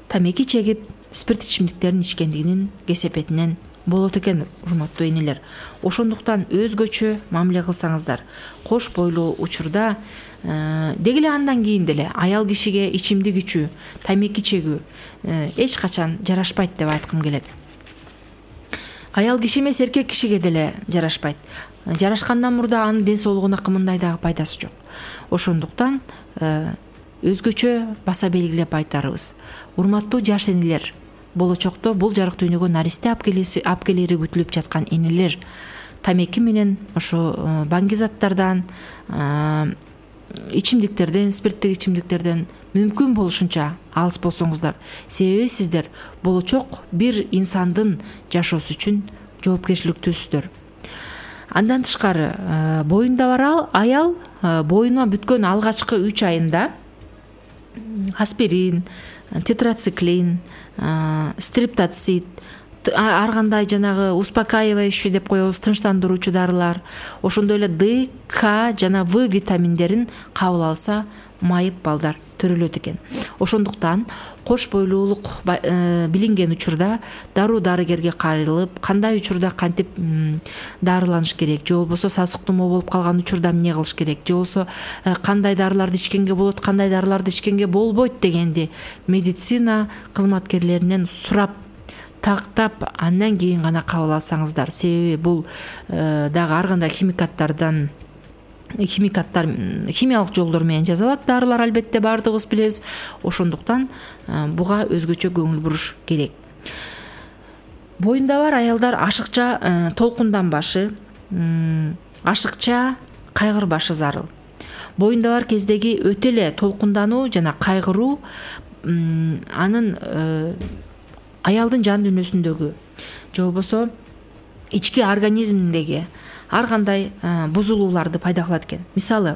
тамеки чегип спирт ичимдиктерин ичкендигинин кесепетинен болот экен, урматтуу энелер. Ошондуктан өзгөчө мамиле кылсаңыздар, кош бойлуу учурда деги эле андан кийин деле аял кишиге ичимдик ичүү, тамеки чегүү эч качан жарашпайт деп айткым келет. Аял киши эмес, эркек кишиге деле жарашпайт. Жарашкандан мурда анын ден соолугуна кымындай дагы пайдасы жок. Ошондуктан өзгөчө баса белгилеп айтарыбыз, урматтуу жаш энелер, болочокто бул жарык дүйнөгө наристе апкелери күтүлүп жаткан энелер, тамеки менен ошо баңгизаттардан, ичимдиктерден, спирттик ичимдиктерден мүмкүн болушунча алыс болсоңуздар. Себеби сиздер болочок бир инсандын жашоосу үчүн жоопкерчиликтүүсүздөр. Андан тышкары, боюнда бар аял боюна бүткөн алгачкы үч айында аспирин, тетрациклин, стриптоцит, ар кандай жанагы успокаивающий деп коебуз, тынчтандыруучу дарылар, ошондой эле Д, К жана В витаминдерин кабыл алса, майып балдар төрөлөт экен. Ошондуктан кош бойлуулук билинген учурда дароо дарыгерге кайрылып, кандай учурда кантип дарыланыш керек, же болбосо сасык тумоо болуп калган учурда эмне кылыш керек, же болбосо кандай дарыларды ичкенге болот, кандай дарыларды ичкенге болбойт дегенди медицина кызматкерлеринен сурап, тактап, андан кийин гана кабыл алсаңыздар. Себеби бул дагы ар кандай химикаттардан химикаттар химиялык жолдор менен жасалат дарылар, албетте баардыгыбыз билебиз. Ошондуктан буга өзгөчө көңүл буруш керек. Боюнда бар аялдар ашыкча толкунданбашы, ашыкча кайгырбашы зарыл. Боюнда бар кездеги өтө эле толкундануу жана кайгыруу анын аялдын жан дүйнөсүндөгү же болбосо ички организминдеги ар кандай бузулууларды пайда кылат экен. Мисалы,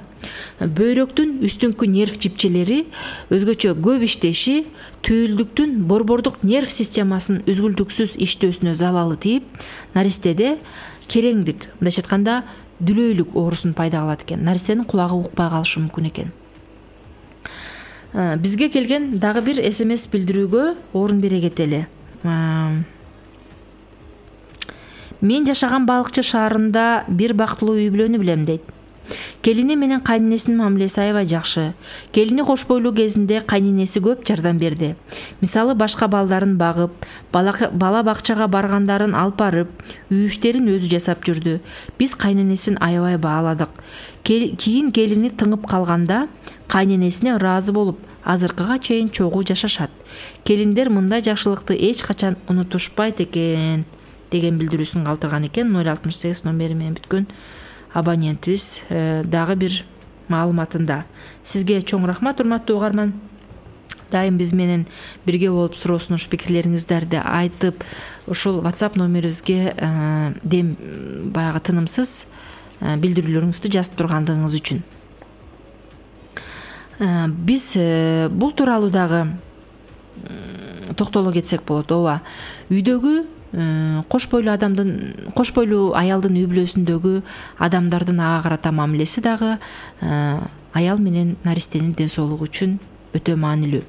бөйрөктүн үстүңкү нерв жипчелери өзгөчө көп иштеши түйүлдүктүн борбордук нерв системасынын үзгүлтүксүз иштөөсүнө залалы тийип, наристеде кереңдик, мындайча айтканда дүлөйлүк оорусун пайда кылат экен. Наристенин кулагы укпай калышы мүмкүн экен. Бизге келген дагы бир эс эм эс билдирүүгө орун бере кетели. Мен жашаган Балыкчы шаарында бир бактылуу үй бүлөнү билем дейт. Келини менен кайненесинин мамилеси аябай жакшы. Келини кош бойлуу кезинде кайненеси көп жардам берди. Мисалы, башка балдарын багып, бала бакчага баргандарын алып барып, үй иштерин өзү жасап жүрдү. Биз кайненесин аябай бааладык. Кийин келини тыңып калганда кайненесине ыраазы болуп, азыркыга чейин чогуу жашашат. Келиндер мындай жакшылыкты эч качан унутушпайт экен деген билдирүүсүн калтырган экен. ноль алтымыш сегиз номери менен бүткөн абонентибиз дагы бир маалыматында. Сизге чоң рахмат, урматтуу угарман. Дайым биз менен бирге болуп суроо сунуш пикирлериңиздерди айтып, ушул WhatsApp номерибизге дем баягы тынымсыз билдирүүлөрүңүздү жазып тургандыгыңыз үчүн. Биз бул тууралуу дагы токтоло кетсек болот. Ооба, үйдөгү кош бойлуу адамдын, кош бойлуу аялдын үй бүлөсүндөгү адамдардын ага карата мамилеси дагы аял менен наристенин ден соолугу үчүн өтө маанилүү.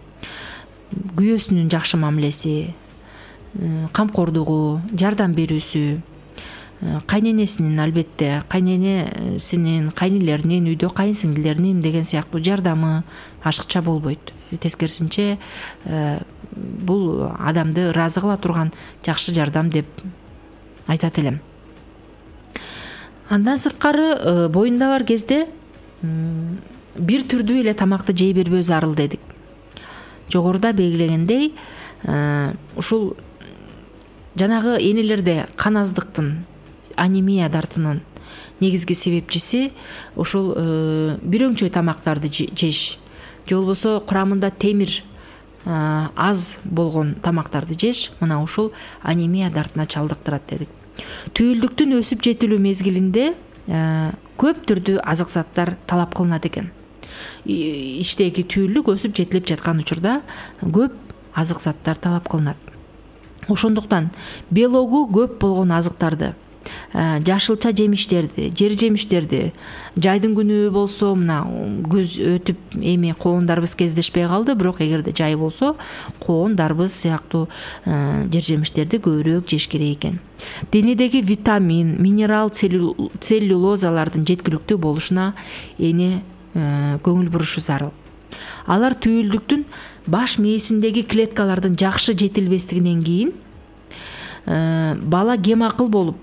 Күйөөсүнүн жакшы мамилеси, камкордугу, жардам берүүсү, кайненесинин, албетте кайненесинин, кайнелеринин, үйдө кайынсиңдилеринин деген сыяктуу жардамы ашыкча болбойт. Тескерисинче бул адамды ыраазы кыла турган жакшы жардам деп айтат элем. Андан сырткары, боюнда бар кезде бир түрдүү эле тамакты жей бербөө зарыл дедик. Жогоруда белгилегендей, ушул жанагы энелерде кан аздыктын, анемия дартынын негизги себепчиси ушул бирөңчөй тамактарды жеш же болбосо курамында темир аз болгон тамактарды жеш мына ушул анемия дартына чалдыктырат дедик. Түйүлдүктүн өсүп жетилүү мезгилинде көп түрдүү азык заттар талап кылынат экен. Иштеги түйүлдүк өсүп жетилип жаткан учурда көп азык заттар талап кылынат. Ошондуктан белогу көп болгон азыктарды, жашылча жемиштерди, жер жемиштерди, жайдын күнү болсо мына көз өтүп эми коондарыбыз кездешпей калды, бирок эгерде жай болсо коон, дарбыз сыяктуу жер жемиштерди көбүрөөк жеш керек экен. Денедеги витамин, минерал, целлюлозалардын жеткиликтүү болушуна эне көңүл бурушу зарыл. Алар түйүлдүктүн баш мээсиндеги клеткалардын жакшы жетилбестигинен кийин бала кем акыл болуп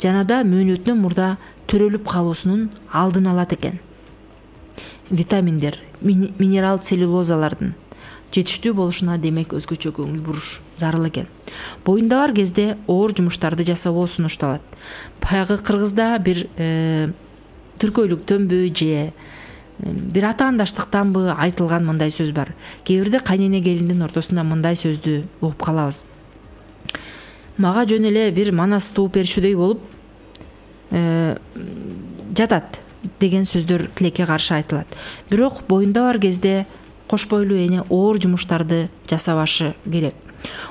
жана да мөөнөтүнөн мурда төрөлүп калуусунун алдын алат экен. Витаминдер, минерал целлюлозалардын жетиштүү болушуна демек өзгөчө көңүл буруш зарыл экен. Боюнда бар кезде оор жумуштарды жасабоо сунушталат. Баягы кыргызда бир түркөйлүктөнбү же бир атаандаштыктанбы айтылган мындай сөз бар. Кээ бирде кайнене келиндин ортосунда мындай сөздү угуп калабыз. Мага жөн эле бир манас тууп берчүдөй болуп жатат деген сөздөр тилекке каршы айтылат. Бирок боюнда бар кезде кош бойлуу эне оор жумуштарды жасабашы керек.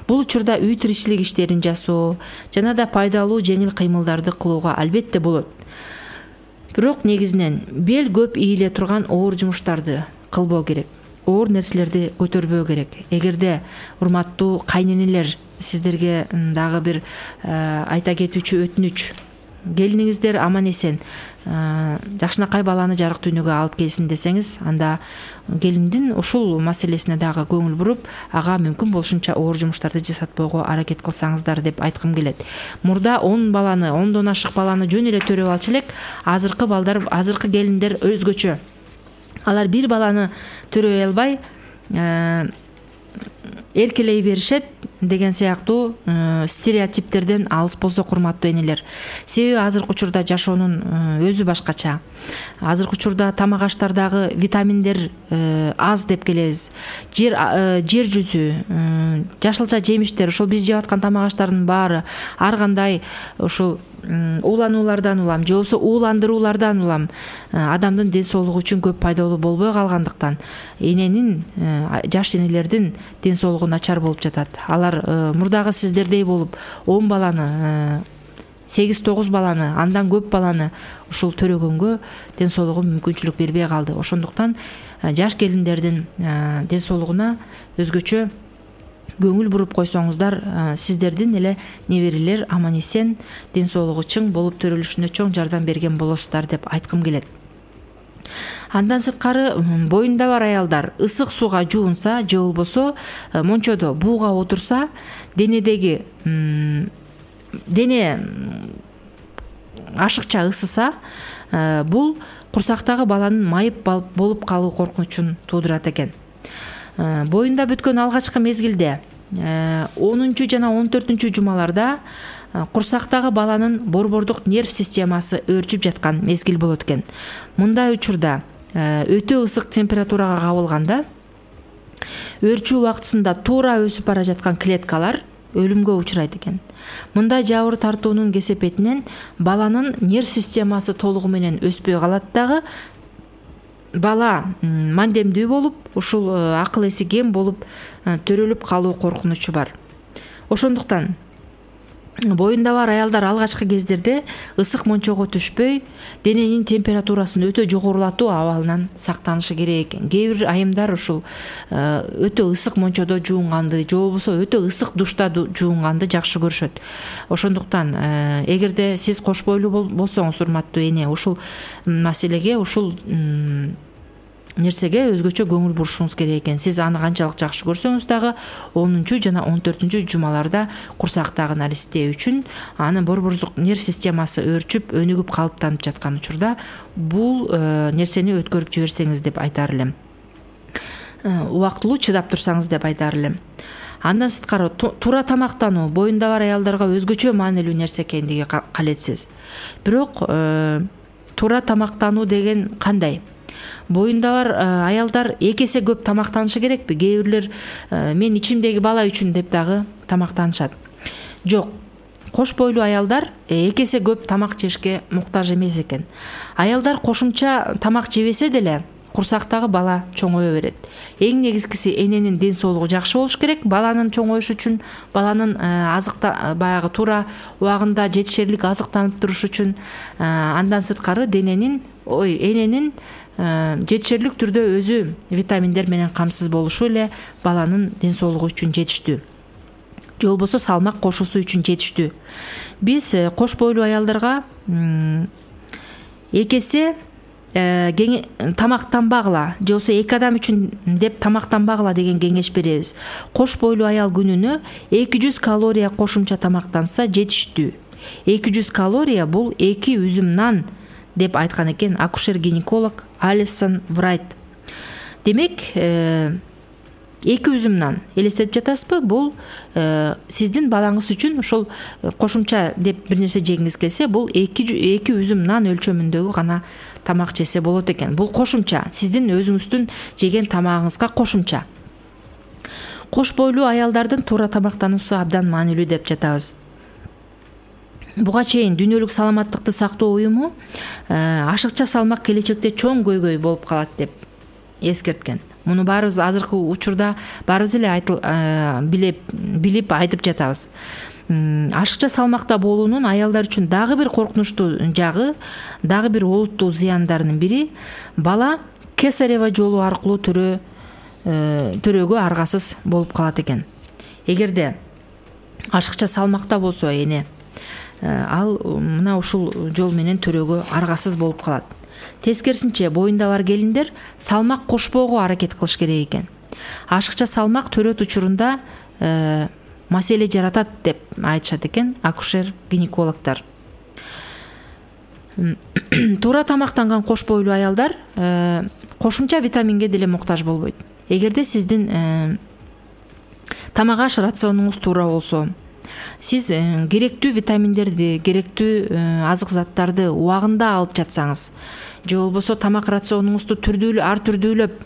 Бул учурда үй тиричилик иштерин жасоо жана да пайдалуу жеңил кыймылдарды кылууга албетте болот. Бирок негизинен бел көп ийиле турган оор жумуштарды кылбоо керек. Оор нерселерди көтөрбөө керек. Эгерде урматтуу кайненелер сиздерге дагы бир айта кетүүчү өтүнүч, келиниңиздер аман эсен жакшынакай баланы жарык дүйнөгө алып келсин десеңиз, анда келиндин ушул маселесине дагы көңүл буруп, ага мүмкүн болушунча оор жумуштарды жасатпоого аракет кылсаңыздар деп айткым келет. Мурда он баланы, ондон ашык баланы жөн эле төрөп алчу элек, азыркы балдар, азыркы келиндер өзгөчө. Алар бир баланы төрөй албай эркелей беришет деген сыяктуу стереотиптерден алыс болсок, урматтуу энелер. Себеби азыркы учурда жашоонун өзү башкача. Азыркы учурда тамак аштардагы витаминдер аз деп келебиз. Жер жер жүзү, жашылча жемиштер, ошол биз жеп аткан тамак аштардын баары ар кандай ушул уулануулардан улам, же болбосо ууландыруулардан улам адамдын ден соолугу үчүн көп пайдалуу болбой калгандыктан эненин, жаш энелердин ден соолугу начар болуп жатат. Алар мурдагы сиздердей болуп он баланы, сегиз тогуз баланы, андан көп баланы ушул төрөгөнгө ден соолугу мүмкүнчүлүк бербей калды. Ошондуктан жаш келиндердин ден соолугуна өзгөчө көңүл буруп койсоңуздар, сиздердин эле неберелер аман эсен, ден соолугу чың болуп төрөлүшүнө чоң жардам берген болосуздар деп айткым келет. Андан сырткары боюнда бар аялдар ысык сууга жуунса же болбосо мончодо бууга отурса, денедеги дене ашыкча ысыса, бул курсактагы баланын майып болуп калуу коркунучун туудурат экен. Боюнда бүткөн алгачкы мезгилде онунчу жана он төртүнчү жумаларда курсактагы баланын борбордук нерв системасы өөрчүп жаткан мезгил болот экен. Мындай учурда өтө ысык температурага кабылганда өөрчүү убактысында туура өсүп бара жаткан клеткалар өлүмгө учурайт экен. Мындай жабыр тартуунун кесепетинен баланын нерв системасы толугу менен өспөй калат дагы, бала мандемдүү болуп, ушул акыл эси кем болуп төрөлүп калуу коркунучу бар. Ошондуктан боюнда бар аялдар алгачкы кездерде ысык мончого түшпөй, дененин температурасын өтө жогорулатуу абалынан сактанышы керек экен. Кээ бир айымдар ушул өтө ысык мончодо жуунганды же болбосо өтө ысык душта жуунганды жакшы көрүшөт. Ошондуктан эгерде сиз кош бойлуу болсоңуз, урматтуу эне, ушул маселеге, ушул нерсеге өзгөчө көңүл бурушуңуз керек экен. Сиз аны канчалык жакшы көрсөңүз дагы онунчу жана он төртүнчү жумаларда курсактагы наристе үчүн анын борбордук нерв системасы өөрчүп, өнүгүп калыптанып жаткан учурда бул нерсени өткөрүп жиберсеңиз деп айтар элем. Убактылуу чыдап турсаңыз деп айтар элем. Андан сырткары туура тамактануу боюнда бар аялдарга өзгөчө маанилүү нерсе экендиги калетсиз. Бирок туура тамактануу деген кандай? Боюнда бар аялдар эки эсе көп тамактанышы керекпи? Кээ бирлер мен ичимдеги бала үчүн деп дагы тамактанышат. Жок. Кош бойлуу аялдар эки эсе көп тамак жешке муктаж эмес экен. Аялдар кошумча тамак жебесе деле курсактагы бала чоңое берет. Эң негизгиси эненин ден соолугу жакшы болуш керек. Баланын чоңоюшу үчүн, баланын азыкта баягы туура убагында жетишерлик азыктанып туруш үчүн, андан сырткары дененин, ой, эненин жетишерлик түрдө өзү витаминдер менен камсыз болушу эле баланын ден соолугу үчүн жетиштүү. Же болбосо салмак кошуусу үчүн жетиштүү. Биз кош бойлуу аялдарга эки эсе тамактанбагыла, же болбосо эки адам үчүн деп тамактанбагыла деген кеңеш беребиз. Кош бойлуу аял күнүнө эки жүз калория кошумча тамактанса жетиштүү. эки жүз калория бул эки үзүм нан деп айткан экен акушер-гинеколог Алисон Врайт. Демек, эки үзүм нан элестетип жатасызбы? Бул сиздин балаңыз үчүн ошол кошумча деп бир нерсе жегиңиз келсе, бул эки үзүм нан өлчөмүндөгү гана тамак жесе болот экен. Бул кошумча, сиздин өзүңүздүн жеген тамагыңызга кошумча. Кош бойлуу аялдардын туура тамактануусу абдан маанилүү деп жатабыз. Буга чейин Дүйнөлүк саламаттыкты сактоо уюму ашыкча салмак келечекте чоң көйгөй болуп калат деп эскерткен. Муну баарыбыз азыркы учурда баарыбыз эле билип билип айтып жатабыз. Ашыкча салмакта болуунун аялдар үчүн дагы бир коркунучтуу жагы, дагы бир олуттуу зыяндарынын бири бала кесарева жолу аркылуу төрө төрөгө аргасыз болуп калат экен. Эгерде ашыкча салмакта болсо эне, ал мына ушул жол менен төрөгө аргасыз болуп калат. Тескерисинче, боюнда бар келиндер салмак кошпоого аракет кылыш керек экен. Ашыкча салмак төрөт учурунда маселе жаратат деп айтышат экен акушер-гинекологдор. Туура тамактанган кош бойлуу аялдар кошумча витаминге деле муктаж болбойт. Эгерде сиздин тамак аш рационуңуз туура болсо, сиз керектүү витаминдерди, керектүү азык заттарды убагында алып жатсаңыз, же болбосо тамак рационуңузду түрдүү ар түрдүүлөп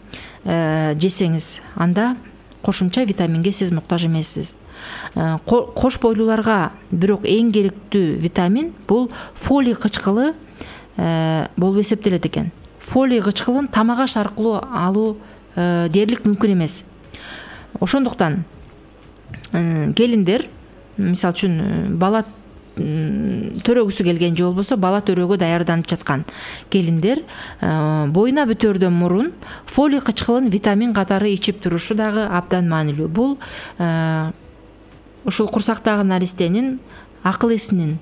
жесеңиз, анда кошумча витаминге сиз муктаж эмессиз. Кош бойлууларга бирок эң керектүү витамин бул фолий кычкылы болуп эсептелет экен. Фолий кычкылын тамак аш аркылуу алуу дээрлик мүмкүн эмес. Ошондуктан келиндер, мисалы үчүн бала төрөгүсү келген, же болбосо бала төрөөгө даярданып жаткан келиндер боюна бүтөөрдөн мурун фолий кычкылын витамин катары ичип турушу дагы абдан маанилүү. Бул ушул курсактагы наристенин акыл эсинин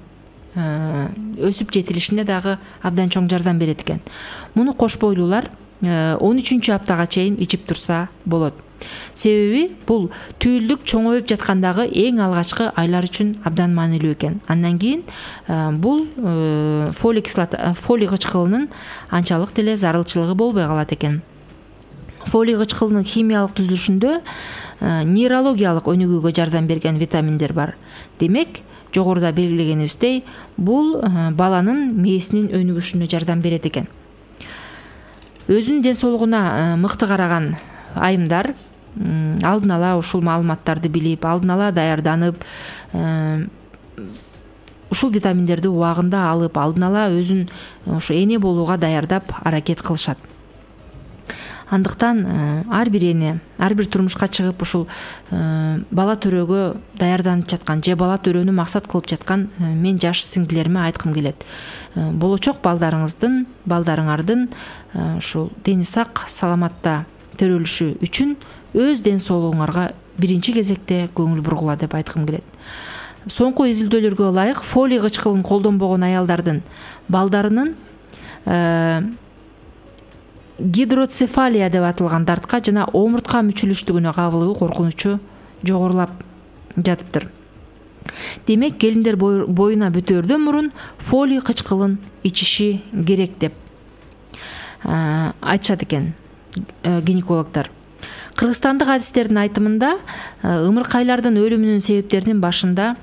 өсүп жетилишине дагы абдан чоң жардам берет экен. Муну кош бойлуулар он үчүнчү аптага чейин ичип турса болот. Себеби бул түйүлдүк чоңоюп жаткандагы эң алгачкы айлар үчүн абдан маанилүү экен. Андан кийин бул фолий кислота, фолий кычкылынын анчалык деле зарылчылыгы болбой калат экен. Фолий кычкылынын химиялык түзүлүшүндө нейрологиялык өнүгүүгө жардам берген витаминдер бар. Демек, жогоруда белгилегенибиздей, бул баланын мээсинин өнүгүшүнө жардам берет экен. Өзүнүн ден соолугуна мыкты караган айымдар алдын ала ушул маалыматтарды билип, алдын ала даярданып, ушул витаминдерди убагында алып, алдын ала өзүн ушу эне болууга даярдап аракет кылышат. Андыктан ар бир эне, ар бир турмушка чыгып ушул бала төрөөгө даярданып жаткан же бала төрөөнү максат кылып жаткан мен жаш сиңдилериме айткым келет. Болочок балдарыңыздын, балдарыңардын ушул дени сак, саламатта төрөлүшү үчүн өз ден соолугуңарга биринчи кезекте көңүл бургула деп айткым келет. Соңку изилдөөлөргө ылайык, фолий кычкылын колдонбогон аялдардын балдарынын гидроцефалия деп аталган дартка жана омуртка мүчүлүштүгүнө кабылуу коркунучу жогорулап жатыптыр. Демек, келиндер боюна бүтөөрдөн мурун фолий кычкылын ичиши керек деп айтышат экен гинекологдор. Кыргызстандык адистердин айтымында ымыркайлардын өлүмүнүн себептеринин башында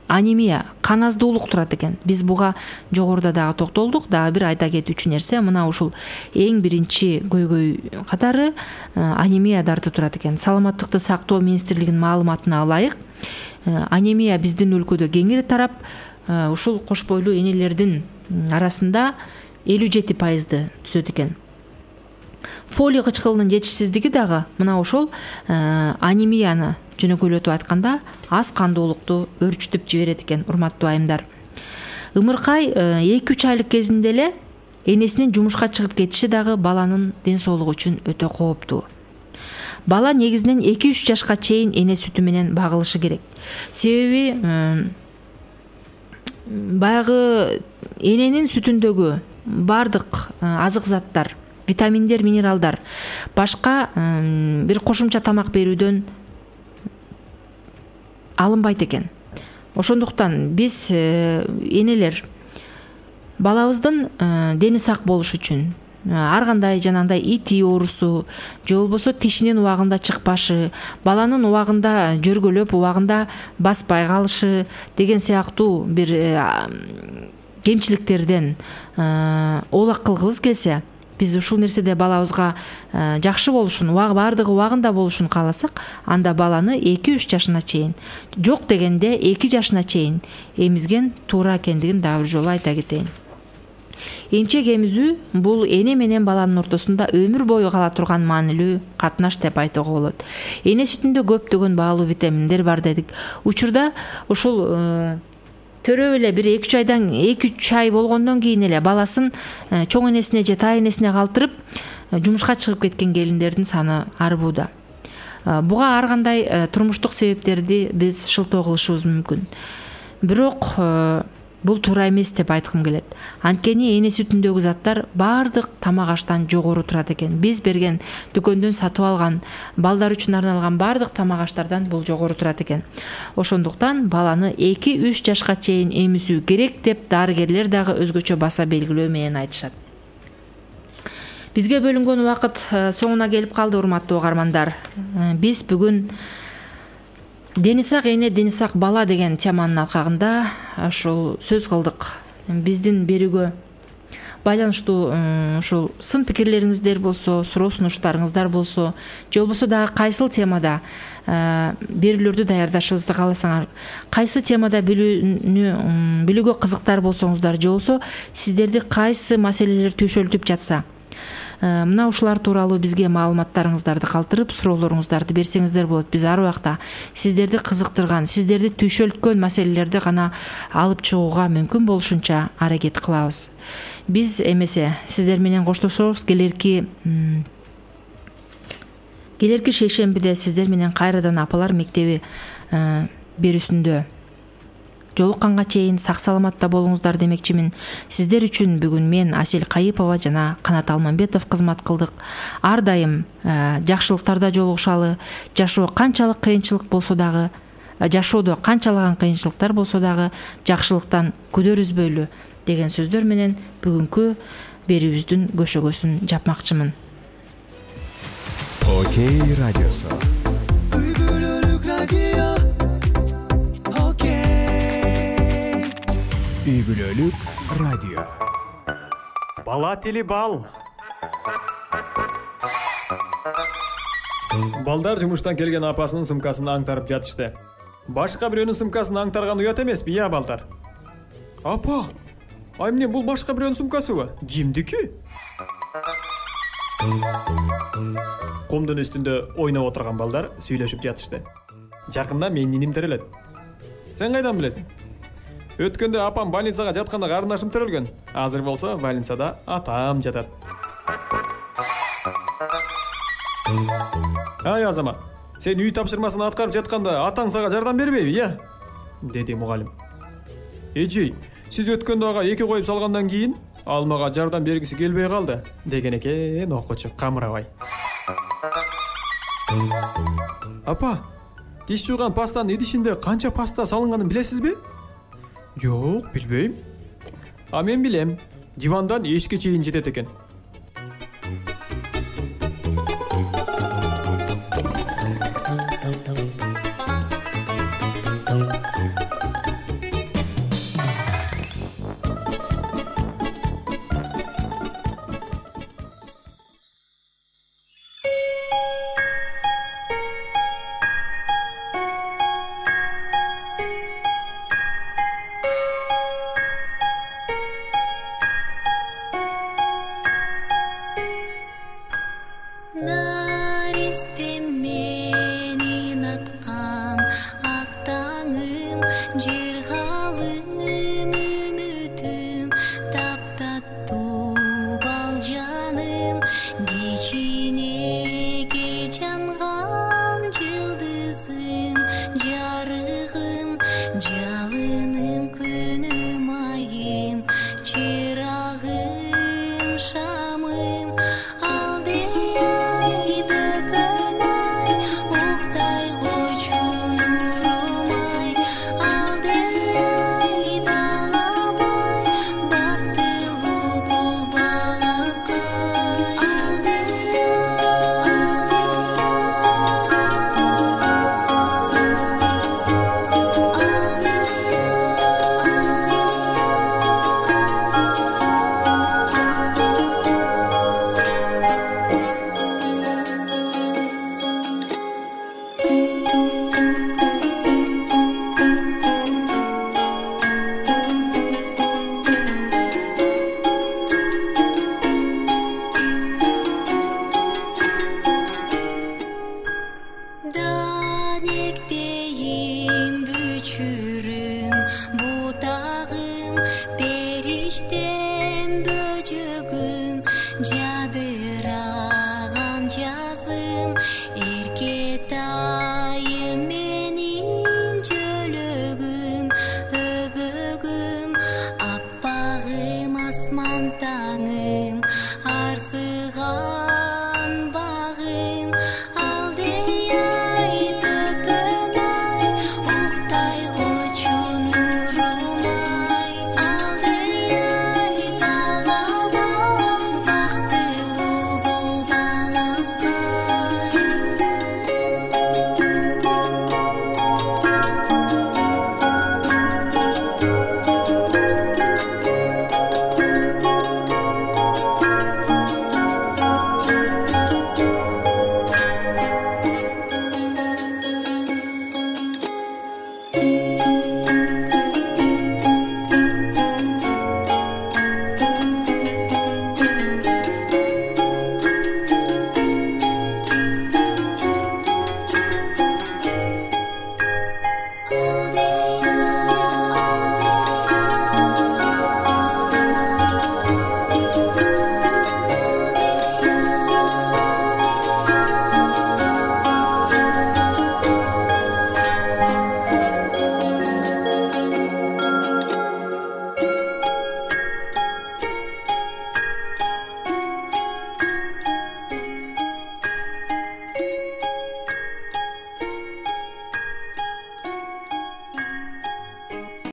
анемия, кан аздуулук турат экен. Биз буга жогоруда дагы токтолдук. Дагы бир айта кетүүчү нерсе, мына ушул эң биринчи көйгөй катары анемия дарты турат экен. Саламаттыкты сактоо министрлигинин маалыматына ылайык, анемия биздин өлкөдө кеңири тарап, ушул кош бойлуу энелердин арасында элүү жети пайызды түзөт экен. Фолий кычкылынын жетишсиздиги дагы мына ошол анемияны жөнөкөйлөтүп айтканда аз кандуулукту өрчүтүп жиберет экен, урматтуу айымдар. Ымыркай эки үч айлык кезинде эле энесинин жумушка чыгып кетиши дагы баланын ден соолугу үчүн өтө кооптуу. Бала негизинен эки үч жашка чейин эне сүтү менен багылышы керек. Себеби баягы эненин сүтүндөгү бардык азык заттар, витаминдер, минералдар башка бир кошумча тамак берүүдөн алынбайт экен. Ошондуктан биз энелер балабыздын дени сак болуш үчүн ар кандай жанагындай ити оорусу же болбосо тишинин убагында чыкпашы, баланын убагында жөргөлөп, убагында баспай калышы деген сыяктуу бир кемчиликтерден оолак кылгыбыз келсе, биз ушул нерседе балабызга жакшы болушун, баардыгы убагында болушун кааласак, анда баланы эки үч жашына чейин, жок дегенде эки жашына чейин эмизген туура экендигин дагы бир жолу айта кетейин. Эмчек эмизүү бул эне менен баланын ортосунда өмүр бою кала турган маанилүү катнаш деп айтууга болот. Эне сүтүндө көптөгөн баалуу витаминдер бар дедик. Учурда ушул төрөп эле бир эки үч айдан эки үч ай болгондон кийин эле баласын чоң энесине же тай энесине калтырып жумушка чыгып кеткен келиндердин саны арбууда. Буга ар кандай турмуштук себептерди биз шылтоо кылышыбыз мүмкүн. Бирок бул туура эмес деп айткым келет. Анткени эне сүтүндөгү заттар бардык тамак аштан жогору турат экен. Биз берген дүкөндөн сатып алган, балдар үчүн арналган бардык тамак аштардан бул жогору турат экен. Ошондуктан баланы эки үч жашка чейин эмизүү керек деп дарыгерлер дагы өзгөчө баса белгилөө менен айтышат. Бизге бөлүнгөн убакыт соңуна келип калды, урматтуу угармандар. Биз бүгүн дени сак эне, дени сак бала деген теманын алкагында ушул сөз кылдык. Биздин берүүгө байланыштуу ушул сын пикирлериңиздер болсо, суроо сунуштарыңыздар болсо, же болбосо дагы кайсыл темада берүүлөрдү даярдашыбызды кааласаңар, кайсы темада билүүнү билүүгө кызыктар болсоңуздар, же болбосо сиздерди кайсы маселелер түйшөлтүп жатса, мына ушулар тууралуу бизге маалыматтарыңыздарды калтырып, суроолоруңуздарды берсеңиздер болот. Биз ар убакта сиздерди кызыктырган, сиздерди түйшөлткөн маселелерди гана алып чыгууга мүмкүн болушунча аракет кылабыз. Биз эмесе сиздер менен коштошобуз. Келерки келерки шейшембиде сиздер менен кайрадан апалар мектеби берүүсүндө жолукканга чейин сак саламатта болуңуздар демекчимин. Сиздер үчүн бүгүн мен Асель Кайыпова жана Канат Алмамбетов кызмат кылдык. Ар дайым жакшылыктарда жолугушалы. Жашоо канчалык кыйынчылык болсо дагы, жашоодо канчалаган кыйынчылыктар болсо дагы жакшылыктан күдөр үзбөйлү деген сөздөр менен бүгүнкү берүүбүздүн көшөгөсүн жапмакчымын. Окей радиосу. Үй бүлөлүк радио. Бала тили бал. Балдар жумуштан келген апасынын сумкасын аңтарып жатышты. Башка бирөөнүн сумкасын аңтарган уят эмеспи, я балдар? Апа, ай эмне бул башка бирөөнүн сумкасыбы? Кимдики? Комдун үстүндө ойноп отурган балдар сүйлөшүп жатышты. Жакында менин иним терелет. Сен кайдан билесиң? Өткөндө апам больницага жатканда карындашым төрөлгөн. Азыр болсо больницада атам жатат. Ай Азамат, сен үй тапшырмасын аткарып жатканда атаң сага жардам бербейби, я? Деди мугалим. Эжей, сиз өткөндө ага эки коюп салгандан кийин ал мага жардам бергиси келбей калды, деген экен окуучу камырабай. Апа, тиш жууган пастанын идишинде канча паста салынганын билесизби? Жок, билбейм. А мен билем. Дивандан эшикке чейин жетет экен. Наристем менин аткан ак таңым, жыргалым үмүтүм, таптаттуу бал жаным, кичинеге жанган жылдызым, жарыгым, жалыным, күнүм, айым, чырагым, шамым, алдей бөпөм ай, уктай койчу нурум ай, алдей балам ай, бактылуу бул балакай, Данектейим, бүчүрүм, бутагым, периштем, бөжөгүм, жадыраган жазым, эрке